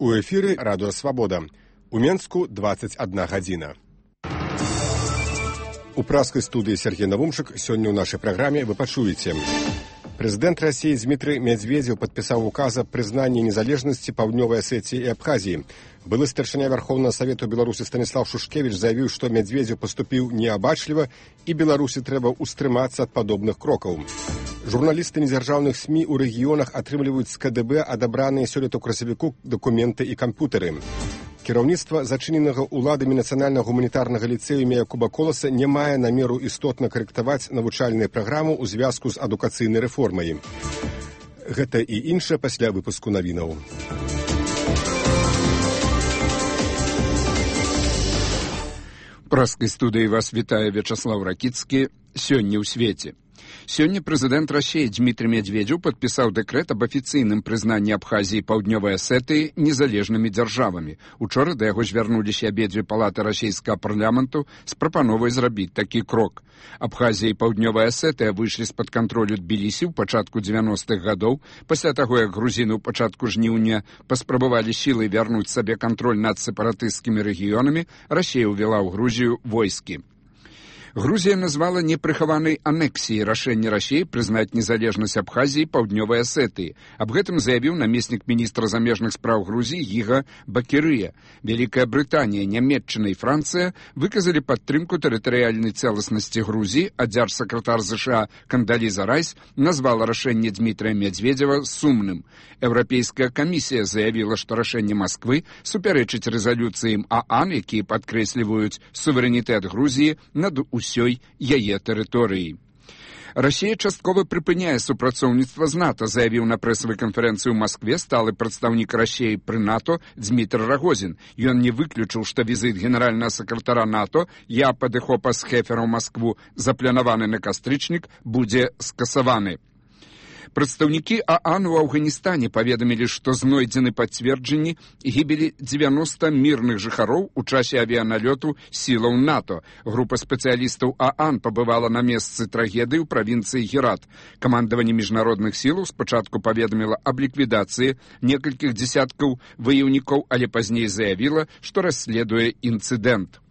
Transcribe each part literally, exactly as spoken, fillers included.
У эфіры радыё «Свабода». У Менску дваццаць адна гадзіна. У праскай студыі Сергей Навумчык сёння ў нашай праграме вы пачуеце. Прэзідэнт Расіі Дмітрый Медведзеў падпісаў указ аб прызнанні незалежнасці Паўднёвай Асетіі і Абхазіі. Былы старшыня Вярхоўнага Савету Беларусі Станіслав Шушкевіч заявіў, што Медведзеў паступіў неабачліва і Беларусі трэба ўстрымацца ад падобных крокаў. Журналісты незяржаўных СМІ ў рэгіёнах атрымліваюць з КДБ адабраныя сёлета ў красавіку дакументы і камп'ютары. Кіраўніцтва зачыненага ўладамі нацыянальна-гуманітарнага ліцэю імя Якуба Коласа не мае намеру істотна карэктаваць навучальную праграму ў звязку з адукацыйнай рэформай. Гэта і іншае пасля выпуску навінаў. У праскай студыі вас вітае Вячаслав Ракіцкі. Сёння ў свеце. Сёння прэзідэнт Расіі Дмітрый Медведзеў падпісаў дэкрэт аб афіцыйным прызнанні Абхазіі і Паўднёвай Асетыі незалежнымі дзяржавамі. Учора да яго звярнуліся абедзве палаты расійскага парламенту з прапановай зрабіць такі крок. Абхазія і Паўднёвая Асетыя выйшлі з-пад кантролю Тбілісі ў пачатку дзевяностых гадоў, пасля таго, як грузіны ў пачатку жніўня паспрабавалі сілай вярнуць сабе кантроль над сепаратысцкімі рэгіёнамі, Расія ўвяла ў Грузію войскі. Грузія назвала непрыхаванай анексіяй рашэнне Расіі прызнаць незалежнасць Абхазіі і Паўднёвай Асетыі. Аб гэтым заявіў намеснік міністра замежных спраў Грузіі Гіга Бакірыя. Вялікая Брытанія, Нямецчына і Францыя выказалі падтрымку тэрытарыяльнай цэласнасці Грузіі, а дзяржсакратар ЗША Кандаліза Райс назвала рашэнне Дмітрыя Медведзева сумным. Еўрапейская камісія заявіла, што рашэнне Масквы супярэчыць рэзалюцыям ААН, якія падкрэсліваюць суверэнітэт Грузіі над усёй яе тэрыторыі. Расія часткова прыпыняе супрацоўніцтва з НАТО, заявіў на прэсавай канферэнцыі ў Маскве сталы прадстаўнік Расіі пры НАТО Дзмітр Рагозін. Ён не выключыў, што візіт генеральнага сакратара НАТО Япа де Хопа з Хефера ў Маскву, запланаваны на кастрычнік, будзе скасаваны. Прадстаўнікі ААН у Афганістане паведамілі, што знойдзены пацверджанні гібелі дзевяноста мірных жыхароў у часе авіяналёту сілаў НАТО. Група спецыялістаў ААН пабывала на месцы трагедыі ў правінцыі Герат. Камандаванне міжнародных сілаў спачатку паведаміла аб ліквідацыі некалькіх дзесяткаў ваяўнікоў, але пазней заявіла, што расследуе інцыдэнт.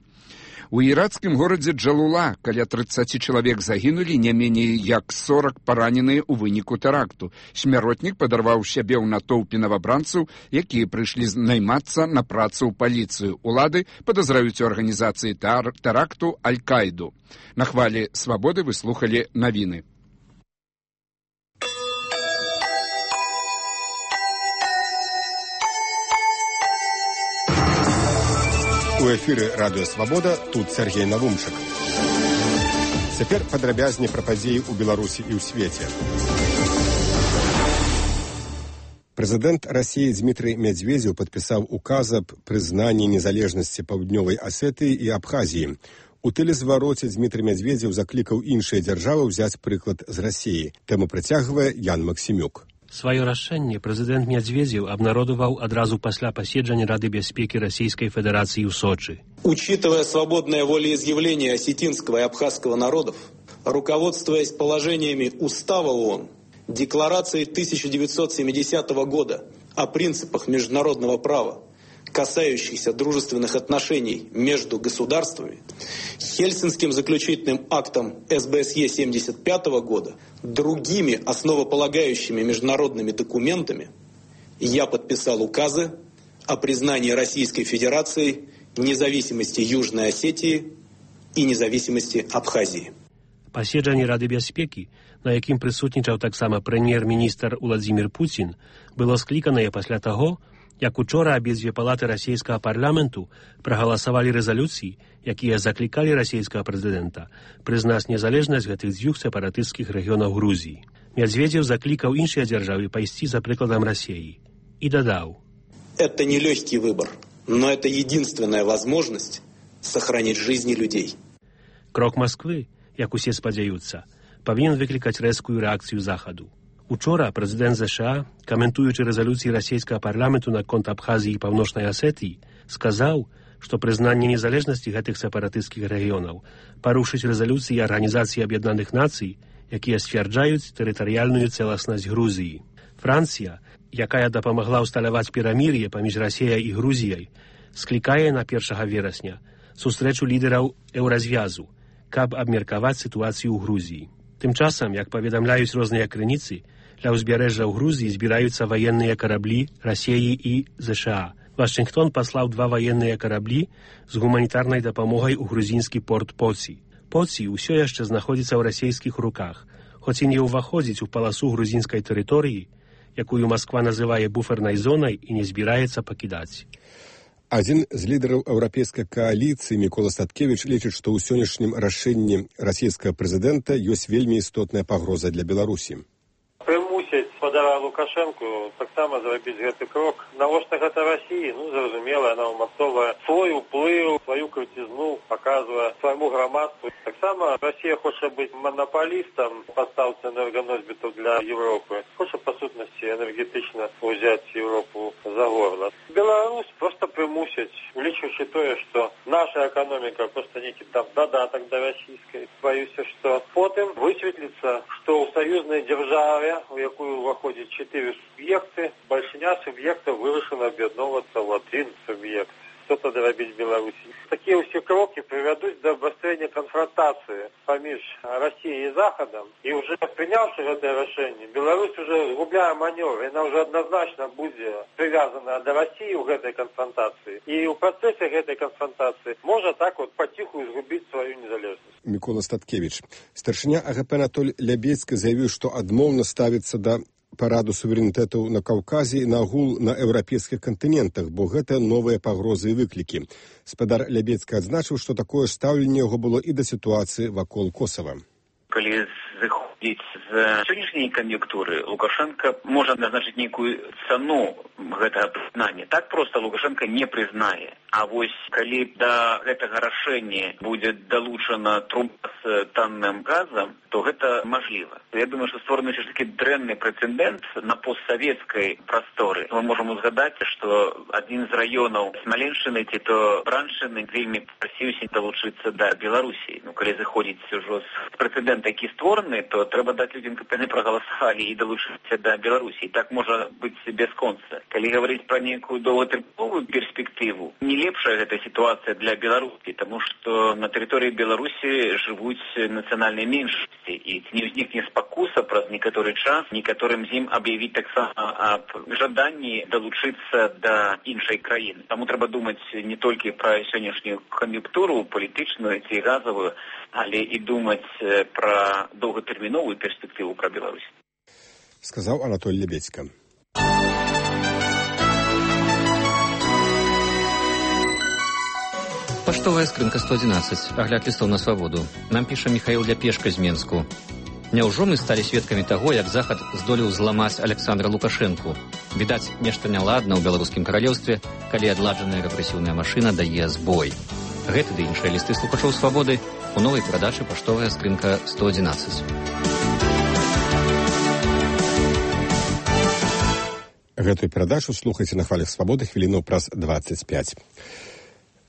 У іракскім горадзе Джалула каля трыццаць чалавек загінулі, не меней як сорак параненыя ў выніку тэракту. Смяротнік падарваў сябе ў натоўпе навабранцаў, якія прыйшлі наймацца на працу ў паліцыю. Улады падазраюць у арганізацыі тэракту Аль-Каіду. На хвалі свабоды вы слухалі навіны. У эфіры радыё «Свабода», тут Сергей Навумчык. Цяпер падрабязней пра падзеі ў Беларусі і ў свеце. Прэзідэнт Расіі Дмітрый Медведзеў падпісаў указ аб прызнанні незалежнасці Паўднёвай Асетыі і Абхазіі. У тэлезвароце Дмітрый Медведзеў заклікаў іншыя дзяржавы ўзяць прыклад з Расіі. Тэму працягвае Ян Максімюк. Сваё рашэнне прэзідэнт Медведзеў абнародаваў адразу пасля паседжання Рады бяспекі Расійскай Федэрацыі ў Сочы. Учитывая свободное волеизъявление осетинского и абхазского народов, руководствуясь положениями Устава ООН, Декларацией тысяча девятьсот семидесятого года о принципах международного права, касающихся дружественных отношений между государствами, Хельсинским заключительным актом эс бэ эс е семьдесят пятого года, другими основополагающими международными документами, я подписал указы о признании Российской Федерации независимости Южной Осетии и независимости Абхазии. Паседжанне Рады бяспекі, на якім прысутнічаў таксама прэм'ер-міністр Уладзімір Пуцін, было скліканае пасля таго, як учора абедзве палаты расійскага парламенту прагаласавалі рэзалюцыі, якія заклікалі расійскага прэзідэнта прызнаць незалежнасць гэтых дзвюх сепаратысцкіх рэгіёнаў Грузіі. Медведзеў заклікаў іншыя дзяржавы пайсці за прыкладам Расіі і дадаў: «Это не легкий выбор, но это единственная возможность сохранить жизни людей». Крок Масквы, як усе спадзяюцца, павінен выклікаць рэзкую рэакцыю Захаду. Учора прэзідэнт ЗША, каментуючы рэзалюцыі расійскага парламенту наконт Абхазіі і Паўночнай Асетыі, сказаў, што прызнанне незалежнасці гэтых сепаратысцкіх рэгіёнаў парушыць рэзалюцыі Арганізацыі Аб'яднаных Нацый, якія сцвярджаюць тэрытарыяльную цэласнасць Грузіі. Францыя якая дапамагла ўсталяваць перамір'е паміж Расіяй і Грузіяй, склікае на першага верасня сустрэчу лідараў еўразвязу, каб абмеркаваць сітуацыю ў Грузіі. Тым часам, як паведамляюць розныя крыніцы, ля ўзбярэжжа ў Грузіі збіраюцца ваенныя караблі Расіі і ЗША. Вашингтон паслаў два ваенныя караблі з гуманітарнай дапамогай у грузінскі порт Поці. Поці ўсё яшчэ знаходзіцца ў расійскіх руках, хоць і не ўваходзіць у паласу грузінскай тэрыторыі, якую Масква называе буфернай зонай і не збіраецца пакідаць. Адзін з лідараў еўрапейскай кааліцыі Мікола Статкевіч лічыць, што ў сённяшнім рашэнні расійскага прэзідэнта ёсць вельмі істотная пагроза для Беларусі. Прымусіць спадара Лукашэнку таксама зрабіць гэты крок. Навошта гэта Расіі? Ну, зразумела, яна ўмацоўвае свой уплыў, сваю крыцізну, паказвае свайму грамадству. Таксама Расія хоча быць манапалістам пастаўцы энерганосьбітаў для Европы. Хоча, па сутнасці, энергетычна ўзяць Европу за горла. Беларусь проста прымусіць, улічваючы тое, што наша эканоміка проста нейкі там дадатак да расійскай. Баюся, што потым высветліцца, што ў саюзнай дзяржаве, у якую ўваходзіць чатыры суб'екты, бальшыня суб'ектаў вырашана аб'ядноўвацца ў адзін суб'ект. Што тады рабіць Беларусі? Такія ўсе крокі прывядуць да абвастрэння канфронтацыі паміж Расіяй і Захадам. І ўжо прыняўшы гэтае рашэнне, Беларусь уже згубляе манёвр, яна ўжо адназначна будзе прывязана да Расіі ў гэтай канфронтацыі. І ў працэсе гэтай канфронтацыі можа так вот паціху згубіць сваю незалежнасць. Мікола Статкевіч. Старшыня А Г П Анатоль Лябецькі заявіў, што адмоўна ставіцца да параду суверэнітэтаў на Каўказе і нагул на еўрапейскіх кантынентах, бо гэта новыя пагрозы і выклікі. Спадар Лябецькі адзначыў, што такое стаўленне яго было і да сітуацыі вакол Косава. Калі зыходзіць з сённяшняй кан'юнктуры, Лукашенко можа назначыць нейкую цану гэтага прызнання. Так проста Лукашенко не прызнае. А вось калі да гэтага рашэння будзе далучана труба з танным газам, то гэта мажліва. Я думаю, што створаны ўсё ж такі дрэнны прэцэдэнт на постсавецкай прасторы. Мы можам узгадаць, што адзін з раёнаў Смаленшчыны ці то Браншчыны вельмі прасіўся далучыцца да Беларусі. Ну, калі заходзіць ужо з прэцэдэнт, які створаны, то трэба даць людзям, каб яны прагаласавалі і далучыцца да Беларусі. Так можа быць бясконца. Калі гаварыць пра нейкую доўгатэрміновую перспектыву, не лепшая гэта сітуацыя для Беларусі, таму што на тэрыторыі Беларусі жывуць нацыянальныя меншасці, і не ўзнікне спакуса праз некаторы час некаторым з ім аб'явіць таксама аб жаданні далучыцца да іншай краіны. Таму трэба думаць не толькі пра сённяшнюю кан'юнктуру палітычную ці газавую, але і думаць пра доўгатэрміновую перспектыву пра Беларусь. Сказаў Анатоль Лябецька. Паштовая скрынка сто адзінаццаць. Агляд лістоў на свабоду. Нам піша Міхаіл Ляпешка з Менску. Няўжо мы сталі сведкамі таго, як Захад здолеў зламаць Александра Лукашэнку? Відаць, нешта няладна ў беларускім каралеўстве, калі адладжаная рэпрэсіўная машына дае збой. Гэты ды іншыя лісты слухачоў свабоды у новай перадачы «Паштовая скрынка сто адзінаццаць». Гэтую перадачу слухайце на хвалях свабоды хвіліну праз дваццаць пяць.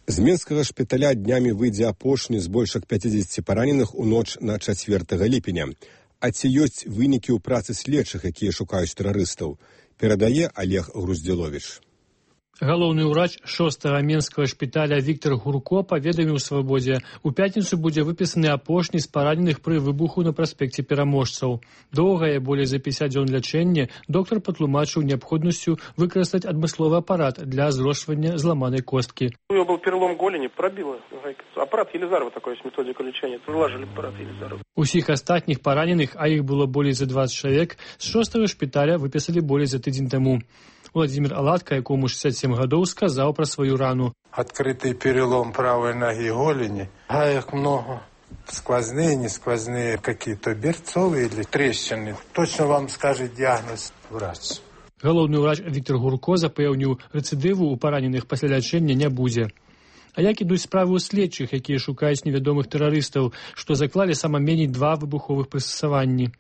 З менскага шпіталя днямі выйдзе апошні з больш як пяцідзесяці параненых у ноч на чацвёртага ліпеня. А ці ёсць вынікі ў працы следчых, якія шукаюць тэрарыстаў, перадае Олег Груздзіловіч. Галоўны ўрач шостага менскага шпіталя Віктор Гурко паведаміў свабодзе, у пятніцу будзе выпісаны апошні з параненых пры выбуху на праспекце Пераможцаў. Доўгае, болей за пяцьдзесят дзён лячэнне, доктар патлумачыў неабходнасцю выкарыстаць адмысловы апарат для зрошвання зламанай косткі. У него был перелом голени, пробило. Аппарат Елизарова такой есть методика лечения. Выложили аппарат Елизарова. Усіх астатніх параненых, а іх было болей за дваццаць чалавек, з шостага шпіталя выпісалі болей за тыдзень таму. Владимир Аладка, якому шестьдесят семь гадоў, сказаў пра сваю рану. Открытый перелом правой ноги голени. Гаек много. Сквозные, не сквозные, какие-то берцовые или трещины. Точно вам скажет диагноз врач. Галоўны ўрач Віктор Гурко запэўніў, рэцыдыву ў параненых пасля лячэння не будзе. А як ідуць справы ў следчых, якія шукаюць невядомых тэрарыстаў, што заклалі сама меней два выбуховых прыстасаванні?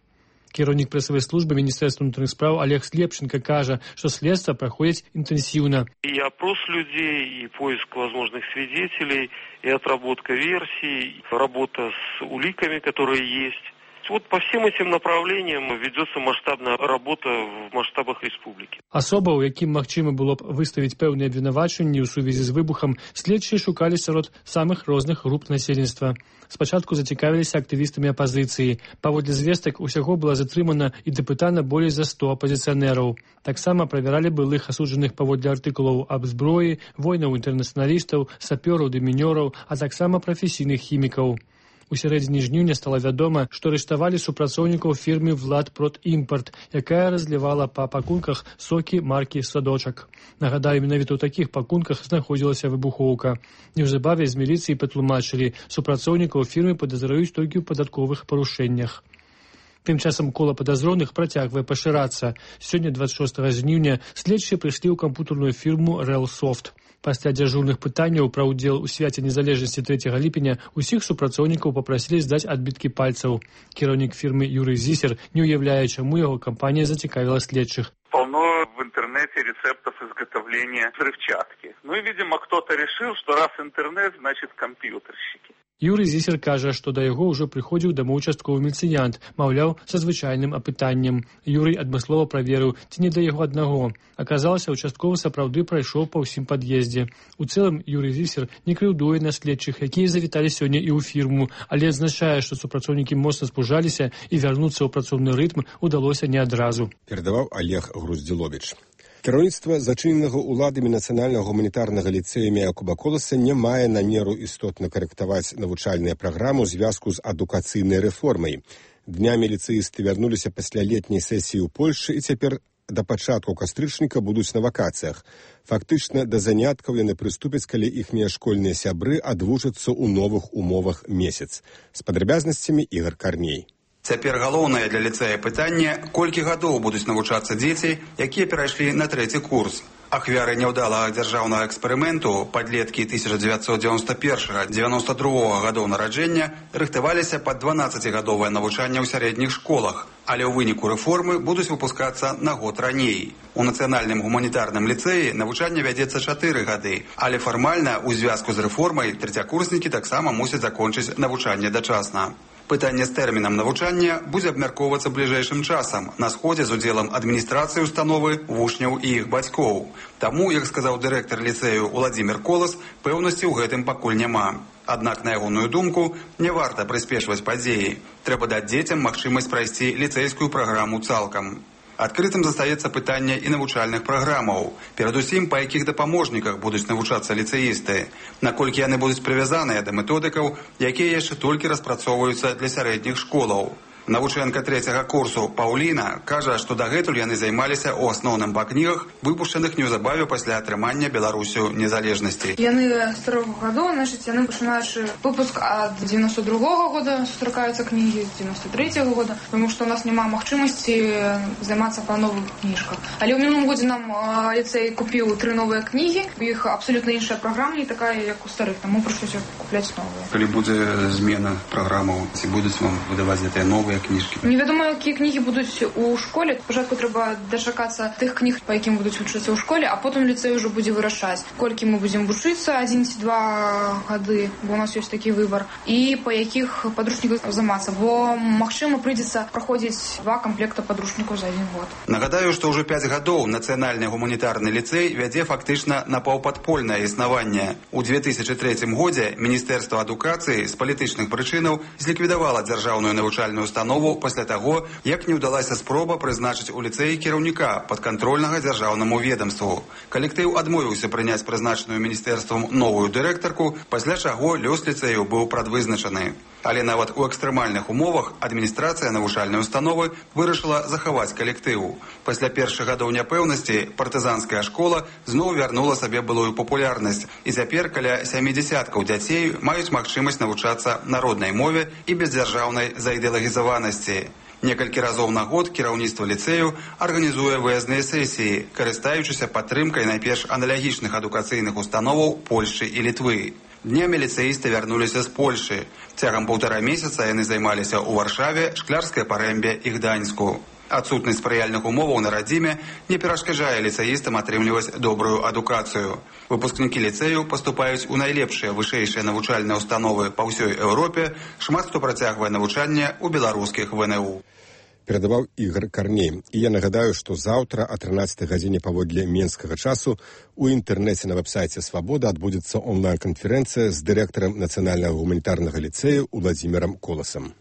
Кіраўнік прэсавай службы Міністэрства ўнутраных спраў Олег Слепченко кажа, што следства праходзіць інтэнсіўна. И опрос людей, и поиск возможных свидетелей, и отработка версий, работа с уликами, которые есть. Вот по всем этим направлениям ведется масштабная работа в масштабах республики. Асоба, у якім магчыма было б выставіць пэўныя абвінавачанні ў сувязі з выбухам, следчыя шукалі сярод самых розных груп насельніцтва. Спачатку зацікавіліся актывістамі апазіцыі. Паводле звестак, усяго была затрымана і дапытана болей за сто апазіцыянераў. Таксама правяралі былых асуджаных паводле артыкулаў аб зброі, воінаў-інтэрнацыяналістаў, сапёраў, дэмінёраў, а таксама прафесійных хімікаў. У сярэдзіне жніўня стала вядома, што арыштавалі супрацоўнікаў фірмы «Владпродімпорт», якая разлівала па пакунках сокі маркі «Садочак». Нагадаю, менавіта ў такіх пакунках знаходзілася выбухоўка. Неўзабаве з міліцыі патлумачылі, супрацоўнікаў фірмы падазраюць толькі ў падатковых парушэннях. Тым часам кола падазроных працягвае пашырацца. Сёння, дваццаць шостага жніўня, следчыя прыйшлі ў кампутарную фірму «Рэлсофт». Пасля дзяжурных пытанняў пра ўдзел у свяце незалежнасці трэцяга ліпеня усіх супрацоўнікаў папрасілі здаць адбіткі пальцаў. Кіраўнік фірмы Юрый Зисер не уяўляе, чаму яго кампанія зацікавіла следчых. Полно в интернете рецептов изготовления взрывчатки. Ну и, видимо, кто-то решил, что раз интернет, значит компьютерщики. Юрый Зисер кажа, што да яго ўжо прыходзіў дамоў участковы міліцыянт, маўляў, са звычайным апытаннем. Юрый адмыслова праверыў, ці не да яго аднаго. Аказалася, участковы сапраўды прайшоў па ўсім пад'ездзе. У цэлым Юрый Зисер не крыўдуе на следчых, якія завіталі сёння і ў фірму, але адзначае, што супрацоўнікі моцна спужаліся і вярнуцца ў працоўны рытм удалося не адразу. Перадаваў Олег Груздзіловіч. Кіраўніцтва зачыненага ўладамі нацыянальнага гуманітарнага ліцэя імя Якуба Коласа не мае намеру істотна карэктаваць навучальныя праграмы ў звязку з адукацыйнай рэформай. Днямі ліцэісты вярнуліся пасля летняй сесіі ў Польшчы і цяпер да пачатку кастрычніка будуць на вакацыях. Фактычна, да заняткаў яны прыступяць, калі іхнія школьныя сябры адвучацца ў новых умовах месяц. З падрабязнасцямі Ігор Карней. Цяпер галоўнае для ліцэя пытанне, колькі гадоў будуць навучацца дзеці, якія перайшлі на трэці курс. Ахвяры няўдалага дзяржаўнага эксперыменту, падлеткі тысяча дзевяцьсот дзевяносто першага - дзевяносто другога гадоў нараджэння, рыхтаваліся пад дванаццацігадовае навучанне ў сярэдніх школах, але ў выніку рэформы будуць выпускацца на год раней. У нацыянальным гуманітарным ліцэі навучанне вядзецца чатыры гады, але фармальна ў звязку з рэформай трэцякурснікі таксама мусяць закончыць навучанне дачасна. Пытанне з тэрмінам навучання будзе абмяркоўвацца бліжэйшым часам на сходзе з удзелам адміністрацыі установы, вучняў і іх бацькоў. Таму, як сказаў дырэктар ліцэю Уладзімір Колас, пэўнасці ў гэтым пакуль няма. Аднак, на ягоную думку, не варта прыспешваць падзеі. Трэба даць дзецям магчымасць прайсці ліцэйскую праграму цалкам. Адкрытым застаецца пытанне і навучальных праграмаў, перадусім па якіх дапаможніках будуць навучацца ліцэісты, наколькі яны будуць прывязаныя да методыкаў, якія яшчэ толькі распрацоўваюцца для сярэдніх школаў. Навучэнка трэцяга курсу Паўліна кажа, што дагэтуль яны займаліся ў асноўным па кнігах, выпушчаных неўзабаве пасля атрымання Беларусю незалежнасці. Яны з трох гадоў, значыць, яны пачынаючы выпуск ад дзевяносто другога года сустракаюцца кнігі, з дзевяносто трэцяга года, тому што у нас няма магчымасці займацца па новых кніжках. Але ў мінулым годзе нам ліцэй купіў тры новыя кнігі, у іх абсалютна іншая праграма, не такая, як у старых, таму прыйшлося купляць новыя. Калі будзе змена праграмаў, ці будуць вам выдаваць гэтыя новыя кніжкі? Невядома, якія кнігі будуць у школе. Спачатку трэба дачакацца тых кніг, па якім будуць вучыцца ў школе, а потым ліцэй ўжо будзе вырашаць, колькі мы будзем вучыцца, адзін ці два гады, бо у нас ёсць такі выбар, і па якіх падручніках займацца, бо, магчыма, прыйдзецца праходзіць два камплекта падручнікаў за адзін год. Нагадаю, што ўжо пяць гадоў нацыянальны гуманітарны ліцэй вядзе фактычна напаўпадпольнае існаванне. У две тысячы трэцім годзе Міністэрства адукацыі з палітычных прычынаў зліквідавала дзяржаўную навучальную установу пасля таго, як не ўдалася спроба прызначыць у ліцэі кіраўніка падкантрольнага дзяржаўнаму ведамству. Калектыў адмовіўся прыняць прызначаную міністэрствам новую дырэктарку, пасля чаго лёс ліцэю быў прадвызначаны. Але нават у экстрэмальных умовах адміністрацыя навучальнай установы вырашыла захаваць калектыў. Пасля першых гадоў няпэўнасці партызанская школа зноў вярнула сабе былую папулярнасць, і цяпер каля сямі дзясяткаў дзяцей маюць магчымасць навучацца на роднай мове і без дзяржаўнай заідэалагізаванасці. Некалькі разоў на год кіраўніцтва ліцэю арганізуе выязныя сесіі, карыстаючыся падтрымкай найперш аналагічных адукацыйных установаў Польшчы і Літвы. Днямі ліцэісты вярнуліся з Польшы. Цягам паўтара месяца яны займаліся ў Варшаве, Шклярскай Парэмбе і Гданьску. Адсутнасць спрыяльных умоваў на радзіме не перашкаджае ліцэістам атрымліваць добрую адукацыю. Выпускнікі ліцэю паступаюць у найлепшыя вышэйшыя навучальныя установы па ўсёй Еўропе, шмат хто працягвае навучанне ў беларускіх вэ эн у. Перадаваў Ігор Карней. І я нагадаю, што заўтра о трынаццатай гадзіне паводле менскага часу у інтэрнэце на вэб-сайце «Свабода» адбудзецца онлайн-канферэнцыя з дырэктарам Нацыянальнага гуманітарнага ліцэю Уладзімірам Коласам.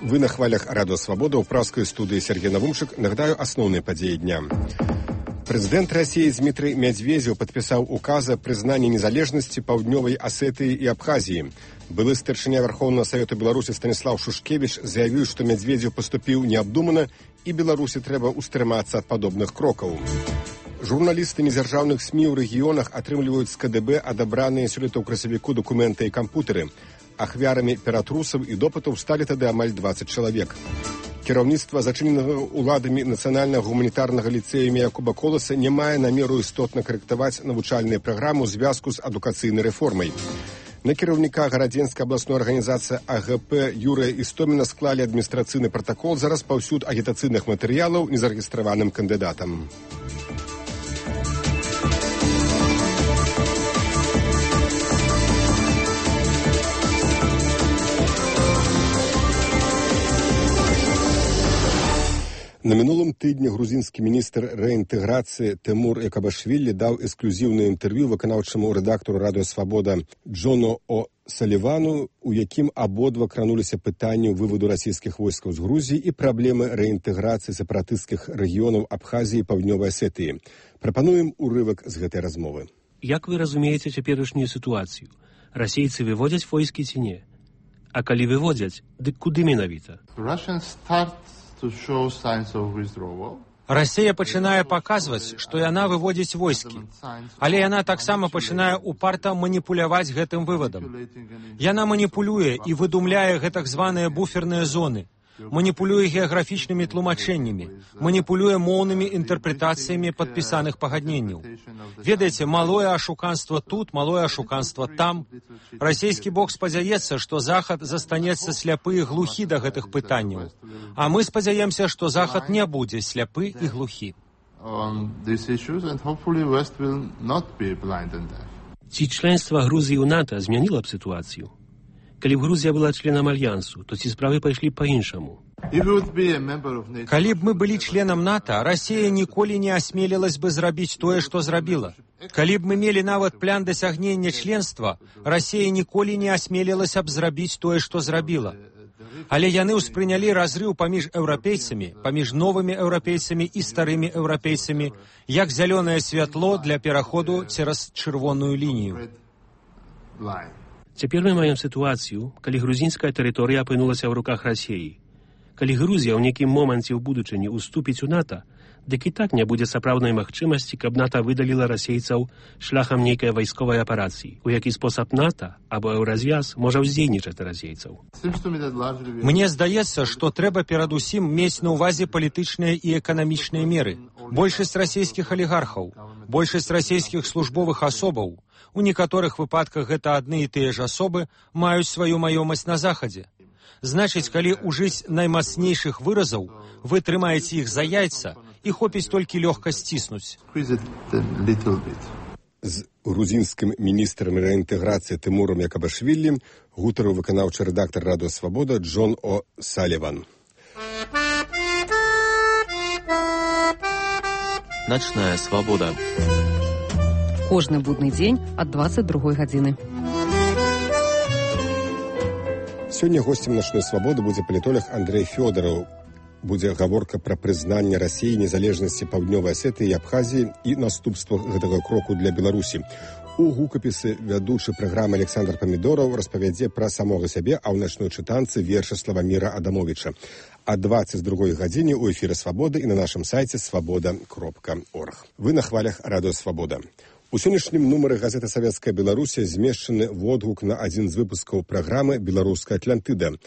Вы на хвалях радио «Свобода» у пражской студии Сергей Навумшик. Нагадаю основные подеи дня. Президент России Дмитрий Медведев подписал указ о признании незалежности Паўднёвай Осетии и Абхазии. Былы старшыня Верховного Совета Беларуси Станислав Шушкевич заявил, что Медведев поступил необдуманно и Беларуси треба устрыматься от подобных кроков. Журналисты незяржаўных СМИ в регионах атрымліваюць з ка дэ бэ адабраныя сёлета ў красавіку документы и компьютеры. Ахвярамі ператрусаў і допытаў сталі тады амаль дваццаць чалавек. Кіраўніцтва зачыненага ўладамі нацыянальнага гуманітарнага ліцэя імя Якуба Коласа не мае намеру істотна карэктаваць навучальную праграму ў звязку з адукацыйнай рэформай. На кіраўніка гарадзенскай абласной арганізацыі а гэ пэ Юрыя Істоміна склалі адміністрацыйны пратакол за распаўсюд агітацыйных матэрыялаў незарэгістраваным кандыдатам. На мінулым тыдні грузінскі міністр рэінтэграцыі Тэмур Экабашвілі даў эксклюзіўнае інтэрв'ю выканаўчаму рэдактару радыё «Свабода» Джону О. Салівану, у якім абодва крануліся пытанню выводу расійскіх войскаў з Грузіі і праблемы рэінтэграцыі сепаратысцкіх рэгіёнаў Абхазіі і Паўднёвай Асетыі. Прапануем урывак з гэтай размовы. Як вы разумееце цяперашнюю сітуацыю? Расейцы выводзяць войскі ці не? А калі выводзяць, дык куды менавіта? Расія пачынае паказваць, што яна выводзіць войскі, але яна таксама пачынае упарта маніпуляваць гэтым вывадам. Яна маніпулюе і выдумляе гэтак званыя буферныя зоны, маніпулюе геаграфічнымі тлумачэннямі, маніпулюе моўнымі інтэрпрэтацыямі падпісаных пагадненняў. Ведаеце, малое ашуканства тут, малое ашуканства там. Расійскі бок спадзяецца, што Захад застанецца сляпы і глухі да гэтых пытанняў. А мы спадзяемся, што Захад не будзе сляпы і глухі. Ці членства Грузіі ў НАТО змяніла б сітуацыю? Калі б Грузія была членам альянсу, то ці справы пайшлі па-іншаму? Калі б мы былі членам НАТО, Расія ніколі не асмелілась бы зрабіць тое, што зрабіла. Калі б мы мелі нават план дасягнення членства, Расія ніколі не асмелілася б зрабіць тое, што зрабіла. Але яны ўспрынялі разрыў паміж еўрапейцамі, паміж новымі еўрапейцамі і старымі еўрапейцамі, як зялёнае святло для пераходу цераз чырвоную лінію. Цяпер мы маем сітуацыю, калі грузінская тэрыторыя апынулася ў руках Расіі. Калі Грузія ў нейкім моманце ў будучыні уступіць у НАТО, дык і так не будзе сапраўднай магчымасці, каб НАТО выдаліла расейцаў шляхам нейкай вайсковай аперацыі, у які спосаб НАТО або еўразвяз можа ўздзейнічаць на расейцаў. Мне здаецца, што трэба перадусім мець на ўвазе палітычныя і эканамічныя меры. Большасць расійскіх алігархаў, большасць расійскіх службовых асобаў, у некаторых выпадках гэта адны і тыя ж асобы, маюць сваю маёмасць на Захадзе. Значыць, калі ўжыць наймацнейшых выразаў, вы трымаеце іх за яйца і хопіць толькі лёгка сціснуць. З грузінскім міністрам рэінтэграцыі Тэмурам Якабашвілі гутарыў выканаўчы рэдактар радыё «Свабода» Джон О. Саліван. Начная свабода. Кожны будны дзень ад дваццаць другой гадзіны. Сёння госцем «Начной свабоды» будзе палітолог Андрэй Фёдараў. Будзе гаворка пра прызнанне Расіі незалежнасці Паўднёвай Асетыі і Абхазіі і наступствах гэтага кроку для Беларусі. У гукапісы вядучы праграмы Александр Памідораў распавядзе пра самога сябе, а ў начной чытанцы верша Славаміра Адамовіча. А дваццаць другой гадзіне ў эфіры «Свабоды» і на нашым сайце свабода кропка орг. Вы на хвалях радыё «Свабода». У сённяшнім нумары газеты «Савецкая Беларусія» змешчаны водгук на адзін з выпускаў праграмы «Беларуская Атлантыда».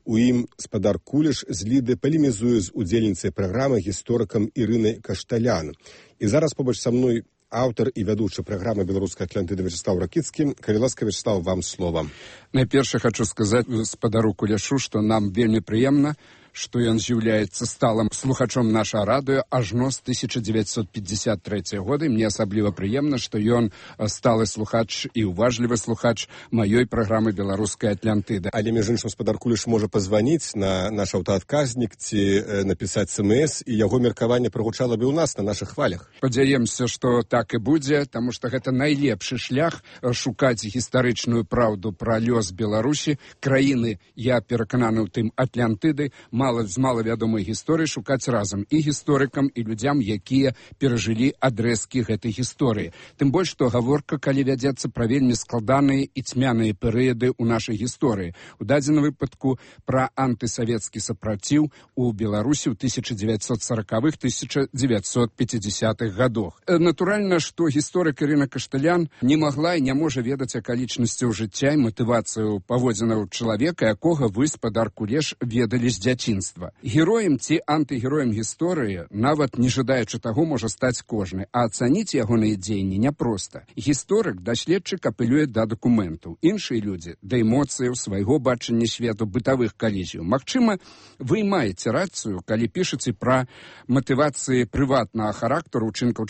У ім спадар Куліш з Ліды палемізуе з удзельніцай праграмы гісторыкам Ірынай Кашталян. І зараз побач са мной аўтар і вядучы праграмы беларускай Атлантыды Вячеслав Ракіцкі. Калі ласка, Вячеслав, вам слова. Найперш хочу сказаць гаспадару Куляшу, што нам вельмі прыемна, што ён з'яўляецца сталым слухачом нашага радыё ажно з тысяча дзевяцьсот пятьдесят третьего года. Мне асабліва прыемна, што ён сталы слухач і уважлівы слухач маёй праграмы беларускай Атлантыды. Але, між іншым, гаспадар Куліш можа пазваніць на наш аўтаадказнік ці напісаць смс, і яго меркаванне прагучала бы ў нас на нашых хвалях. Спадзяемся, што так і будзе, таму што гэта найлепшы шлях шукаць гістарычную праўду пра лёс Беларусі, краіны, я перакананы ў тым, Атлантыды, мала з малавядомай гісторыі шукаць разам і гісторыкам, і людзям, якія перажылі адрэзкі гэтай гісторыі. Тым больш, што гаворка, калі вядзецца пра вельмі складаныя і цьмяныя перыяды ў нашай гісторыі. У дадзеным выпадку пра антысавецкі сапраціў у Беларусі ў тысяча дзевяцьсот сорокавых — тысяча дзевяцьсот пятидесятых годах. Натуральна, што гісторык Ірына Кашталян не магла і не можа ведаць акалічнасцяў жыцця і матывацыю паводзінаў чалавека, якога вы, спадар Кулеш, ведалі з дзяцінства. Героем ці антыгероем гісторыі, нават не жадаючы таго, можа стаць кожны, а ацаніць ягоныя дзеянні няпроста. Гісторык, даследчык апелюе да дакументаў, іншыя людзі да эмоцыяў, свайго бачання свету, бытавых калізіяў. Магчыма, вы маеце рацыю, калі пішаце пра матывацыі прыватнага характару учынкаў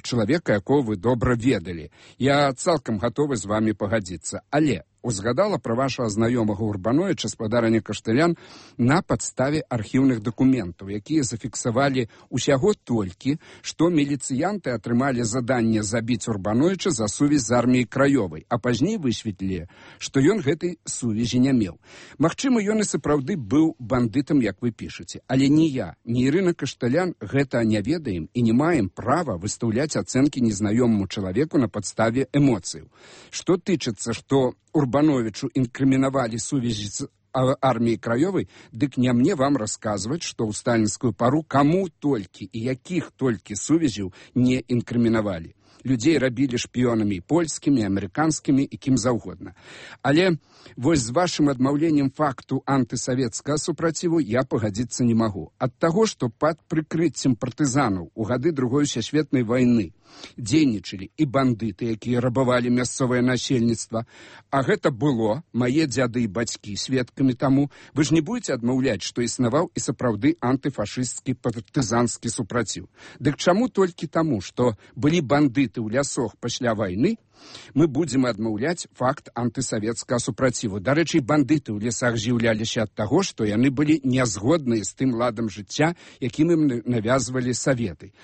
чалавека, якого вы добра ведалі. Я цалкам гатовы з вамі пагадзіцца, але узгадала пра вашага знаёмага Урбановича, спадарыня Кашталян, на падставе архіўных дакументаў, якія зафіксавалі усяго толькі, што міліцыянты атрымалі заданне забіць Урбановича за сувязь з арміяй краёвай, а пазней высветлілі, што ён гэтай сувязі не меў. Магчыма, ён і сапраўды быў бандытам, як вы пішаце, але ні я, ні Ірына Кашталян гэта не ведаем і не маем права выстаўляць ацэнкі незнаёмаму чалавеку на падставе эмоцыяў. Што тычыцца, што Урбановичу інкрымінавалі сувязі з арміяй краёвай, дык не мне вам расказваць, што ў сталінскую пару каму толькі і якіх толькі сувязяў не інкрымінавалі. Людзей рабілі шпіёнамі польскімі, амерыканскімі і кім заўгодна. Але вось з вашым адмаўленнем факту антысавецкага супраціву я пагадзіцца не магу. Ад таго, што пад прыкрыццем партызанаў у гады Другой сусветнай вайны дзейнічалі і бандыты, якія рабавалі мясцовае насельніцтва, а гэта было, мае дзяды і бацькі сведкамі таму, вы ж не будзеце адмаўляць, што існаваў і сапраўды антыфашысцкі партызанскі супраціў. Дык чаму толькі таму, што былі бандыты ў лясах пасля вайны, мы будзем адмаўляць факт антысавецкага супраціву. Дарэчы, бандыты ў лясах з'яўляліся ад таго, што яны былі нязгодныя з тым ладам жыцця, якім ім навязвалі саветы.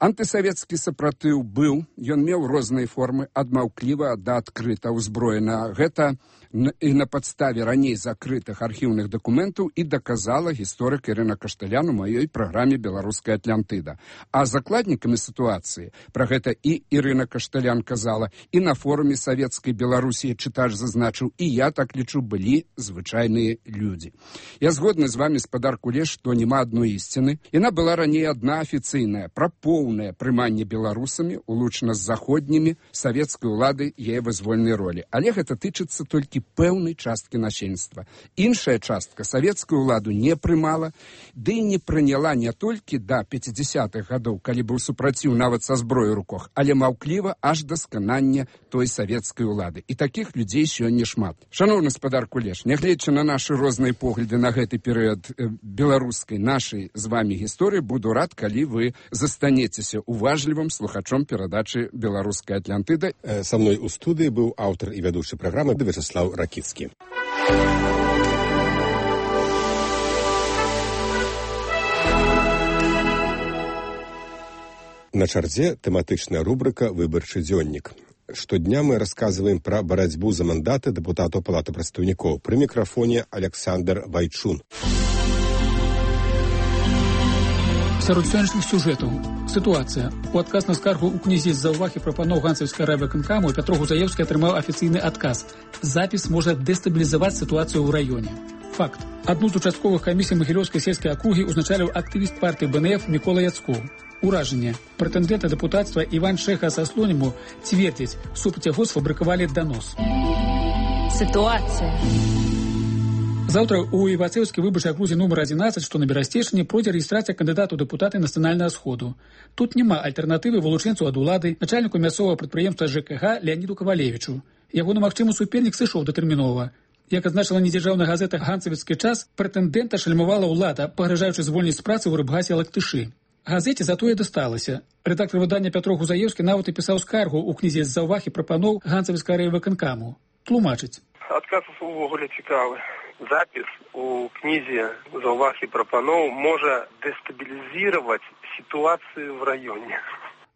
Антысавецкі сапратыў быў, ён меў розныя формы, ад маўкліва да адкрыта ўзброена. Гэта і на падставе раней закрытых архіўных дакументаў і доказала гісторык Ірына Кашталян у маёй праграме «Беларуская Атлантыда». А закладнікамі сітуацыі, пра гэта і Ірына Кашталян казала, і на форуме савецкай Беларусі чытач зазначыў, і я так лічу, былі звычайныя людзі. Я згодны з вамі, спадар Кулеш, што няма адной ісціны. Яна была раней адна афіцыйная, пра поўнае прыманне беларусамі, улучна з заходнімі, савецкай улады яе вызвольнай ролі. Але гэта тычыцца толькі пэўнай часткі насельніцтва. Іншая частка савецкую ўладу не прымала, ды і не прыняла не толькі да пятидесятых гадоў, калі быў супраціў нават са зброёй у руках, але маўкліва аж да сканання той савецкай улады. І такіх людзей сёння шмат. Шаноўны спадар Кулеш, нягледзячы на нашы розныя погляды на гэты перыяд беларускай нашай з вамі гісторыі, буду рад, калі вы застанецеся уважлівым слухачом перадачы «Беларуская Атлантыда». Са мной у студыі быў аўтар і вядучы праграмы Вячеслав Ракіцкі. На чарзе тэматычная рубрыка «Выбарчы дзённік». Штодня мы расказваем пра барацьбу за мандаты дэпутатаў Палаты прадстаўнікоў. Пры мікрафоне Александр Вайчун. Сярод сённяшніх сюжэтаў. Сітуацыя. У адказ на скаргу ў кнізе з-за ўвагі прапаноў ганцаўскай райвыканкаму Пятро Гузаевскі атрымаў афіцыйны адказ. Запіс можа дэстабілізаваць сітуацыю ў раёне. Факт. Адну з участковых камісій Магілёўскай сельскай акругі узначаліў актывіст партыі БНФ Мікола Яцкоў. Уражанне. Прэтэндэнта дэпутацтва Іван Шэха са Слоніму цвердзяць, супраць яго сфабрыкавалі данос. Сітуацыя. Заўтра у Івацеўскай выбарчай акрузе нумар адзінаццаць, што на Берасцейшчыне, пройдзе рэгістрацыя кандыдата ў дэпутаты нацыянальнага сходу. Тут няма альтэрнатывы вылучэнцу ад улады, начальніку мясцовага прадпрыемства ЖКХ Леаніду Кавалевічу. Ягоны магчымы супернік сышоў датэрмінова. Як адзначыла недзяржаўная газета «Ганцавіцкі час», прэтэндэнта шальмавала ўлада, пагражаючы звольніць з працы ў рыбгасе Лактышы. Газеце затое дасталася. Рэдактар выдання Пятро Гузаеўскі нават і пісаў скаргу ў кнізе з заўваг і прапаноў Ганцавіцкага райвыканкаму. Тлумачыць. Адказ увогуле цікавы. Запіс у кнізе заўваг і прапаноў можа дэстабілізировать ситуацию в районе.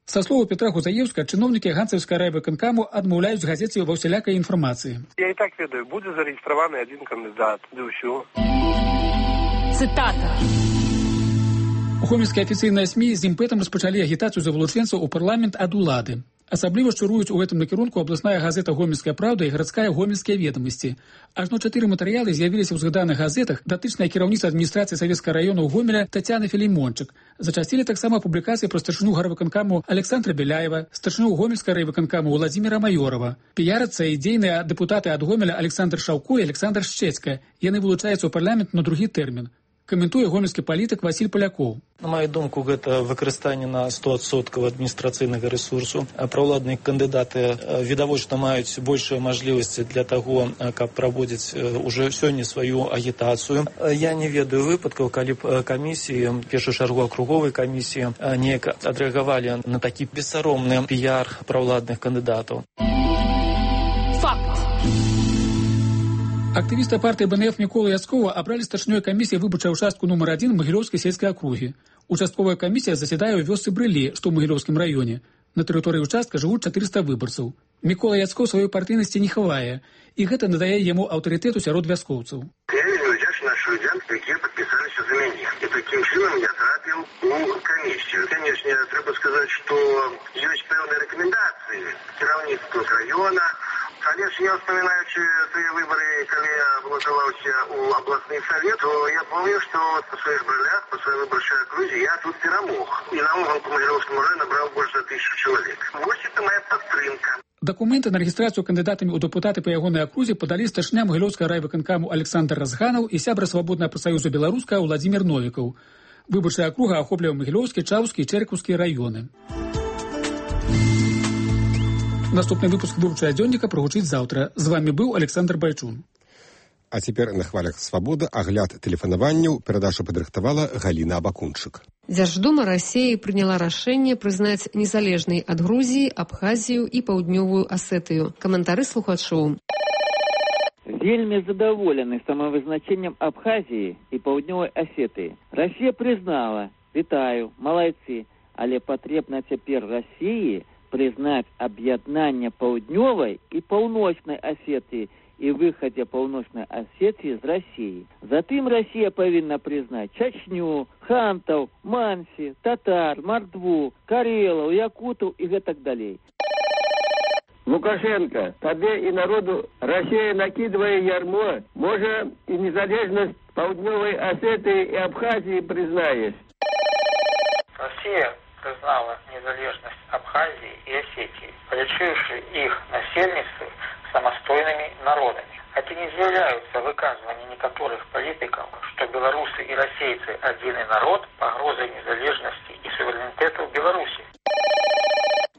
Са слова Петра Гузаеўска, чыноўнікі Ганцавіцкага райвыканкаму адмаўляюць газеце ва ўсялякай інфармацыі. Я і так ведаю, будзе зарэгістраваны адзін кандыдат. Ды ўсё. Цытата. Гомельскія афіцыйныя СМІ з імпэтам распачалі агітацыю за вылучэнцаў у парламент ад улады. Асабліва шчыруюць у гэтым накірунку абласная газета «Гомельская правда» і гарадская «Гомельскія ведамасці». Ажно чатыры матэрыялы з'явіліся ў згаданых газетах, датычная кіраўніца адміністрацыі Савецкага района ў Гомеля Тацяна Філімончык. Зачасцілі таксама публікацыі пра старшыню гарвыканкаму Александра Беляева, старшыню Гомельскага райвыканкаму Владзіміра Майорова. Піярацыя і дзейныя дэпутаты ад Гомеля Александр Шаўко і Александр Шчэцька. Яны вылучаюцца ў парламент на другі тэрмін. Каментуе гомельскі палітык Васіль Палякоў. На маю думку, гэта выкарыстанне на сто адсоткаў адміністрацыйнага рэсурсу. Праўладныя кандыдаты відавочна маюць большыя мажлівасці для таго, каб праводзіць уже сёння сваю агітацыю. Я не ведаю выпадкаў, калі б камісіі, в першую чаргу акруговай камісіі, неяк адрэагавалі на такі бессаромны піяр праўладных кандыдатаў. Актывіста партыі БНФ Мікола Яцкова абралі старшынёй камісіі выбарчай участку нумар адзін Магілёўскай сельскай акругі. Участковая камісія засядае ў вёсцы Брылі, што ў Магілёўскім раёне. На тэрыторыі участка жывуць чатырыста выбарцаў. Мікола Яцкоў сваёй партыйнасці не хавае, і гэта надае яму аўтарытэту сярод вяскоўцаў. Я вельмі удзячны нашым людзям, якія падпісаліся за мяне. І такім чынам я трапіў у камісію. Канечне, трэба сказаць, што ёсць пэўныя рэкамендацыі кіраўніцтва з раёна. Але ж я, вспоминаючи тыя выборы, калі я балотаваўся у абласны савет, то я помню, што па сваіх брылях, па сваёй выбарчай акрузе я тут перамог. І наогул па Магілёўскаму району набраў больш за тысячу чалавек. Вось это моя падтрымка. Дакументы на рэгістрацыю кандыдатамі ў дэпутаты па ягонай акрузе падалі старшыня Магілёўскага райвыканкаму Александр Разганаў і сябра свабоднага прафсаюза беларуска Владзімір Новікаў. Выбарчая акруга ахоплівае Магілёўскі, Чаўскі і Чэркаўскі раёны. Наступны выпуск выбарчага дзённіка прагучыць заўтра. З вамі быў Александр Байчун. А цяпер на хвалях свабоды агляд тэлефанаванняў перадачу падрыхтавала Галіна Абакунчык. Дзярждума Расіі прыняла рашэнне прызнаць незалежнай ад Грузіі, Абхазію і Паўднёвую Асетыю. Каментары слухачоў. Вельмі задаволены самавызначэннем Абхазіі і Паўднёвай Асетыі. Расія прызнала, вітаю, малайцы, але патрэбна цяпер Расіі признать объединение Паўднёвай и Паўночной Осетии и выходе Паўночной Осетии из России. Затым Россия повинна признать Чечню, хантов, манси, татар, мордву, карелов, якутов и так далее. Лукашенко, тебе и народу Россия накидывая ярмо, может и незалежность Паўднёвай Осетии и Абхазии признаешь. Россия признала незалежность Абхазии и Осетии, полечивши их насельництво самостойными народами. Это не являются выказывания некоторых политиков, что белорусы и российцы один народ, погрозой незалежности и суверенитету Беларуси.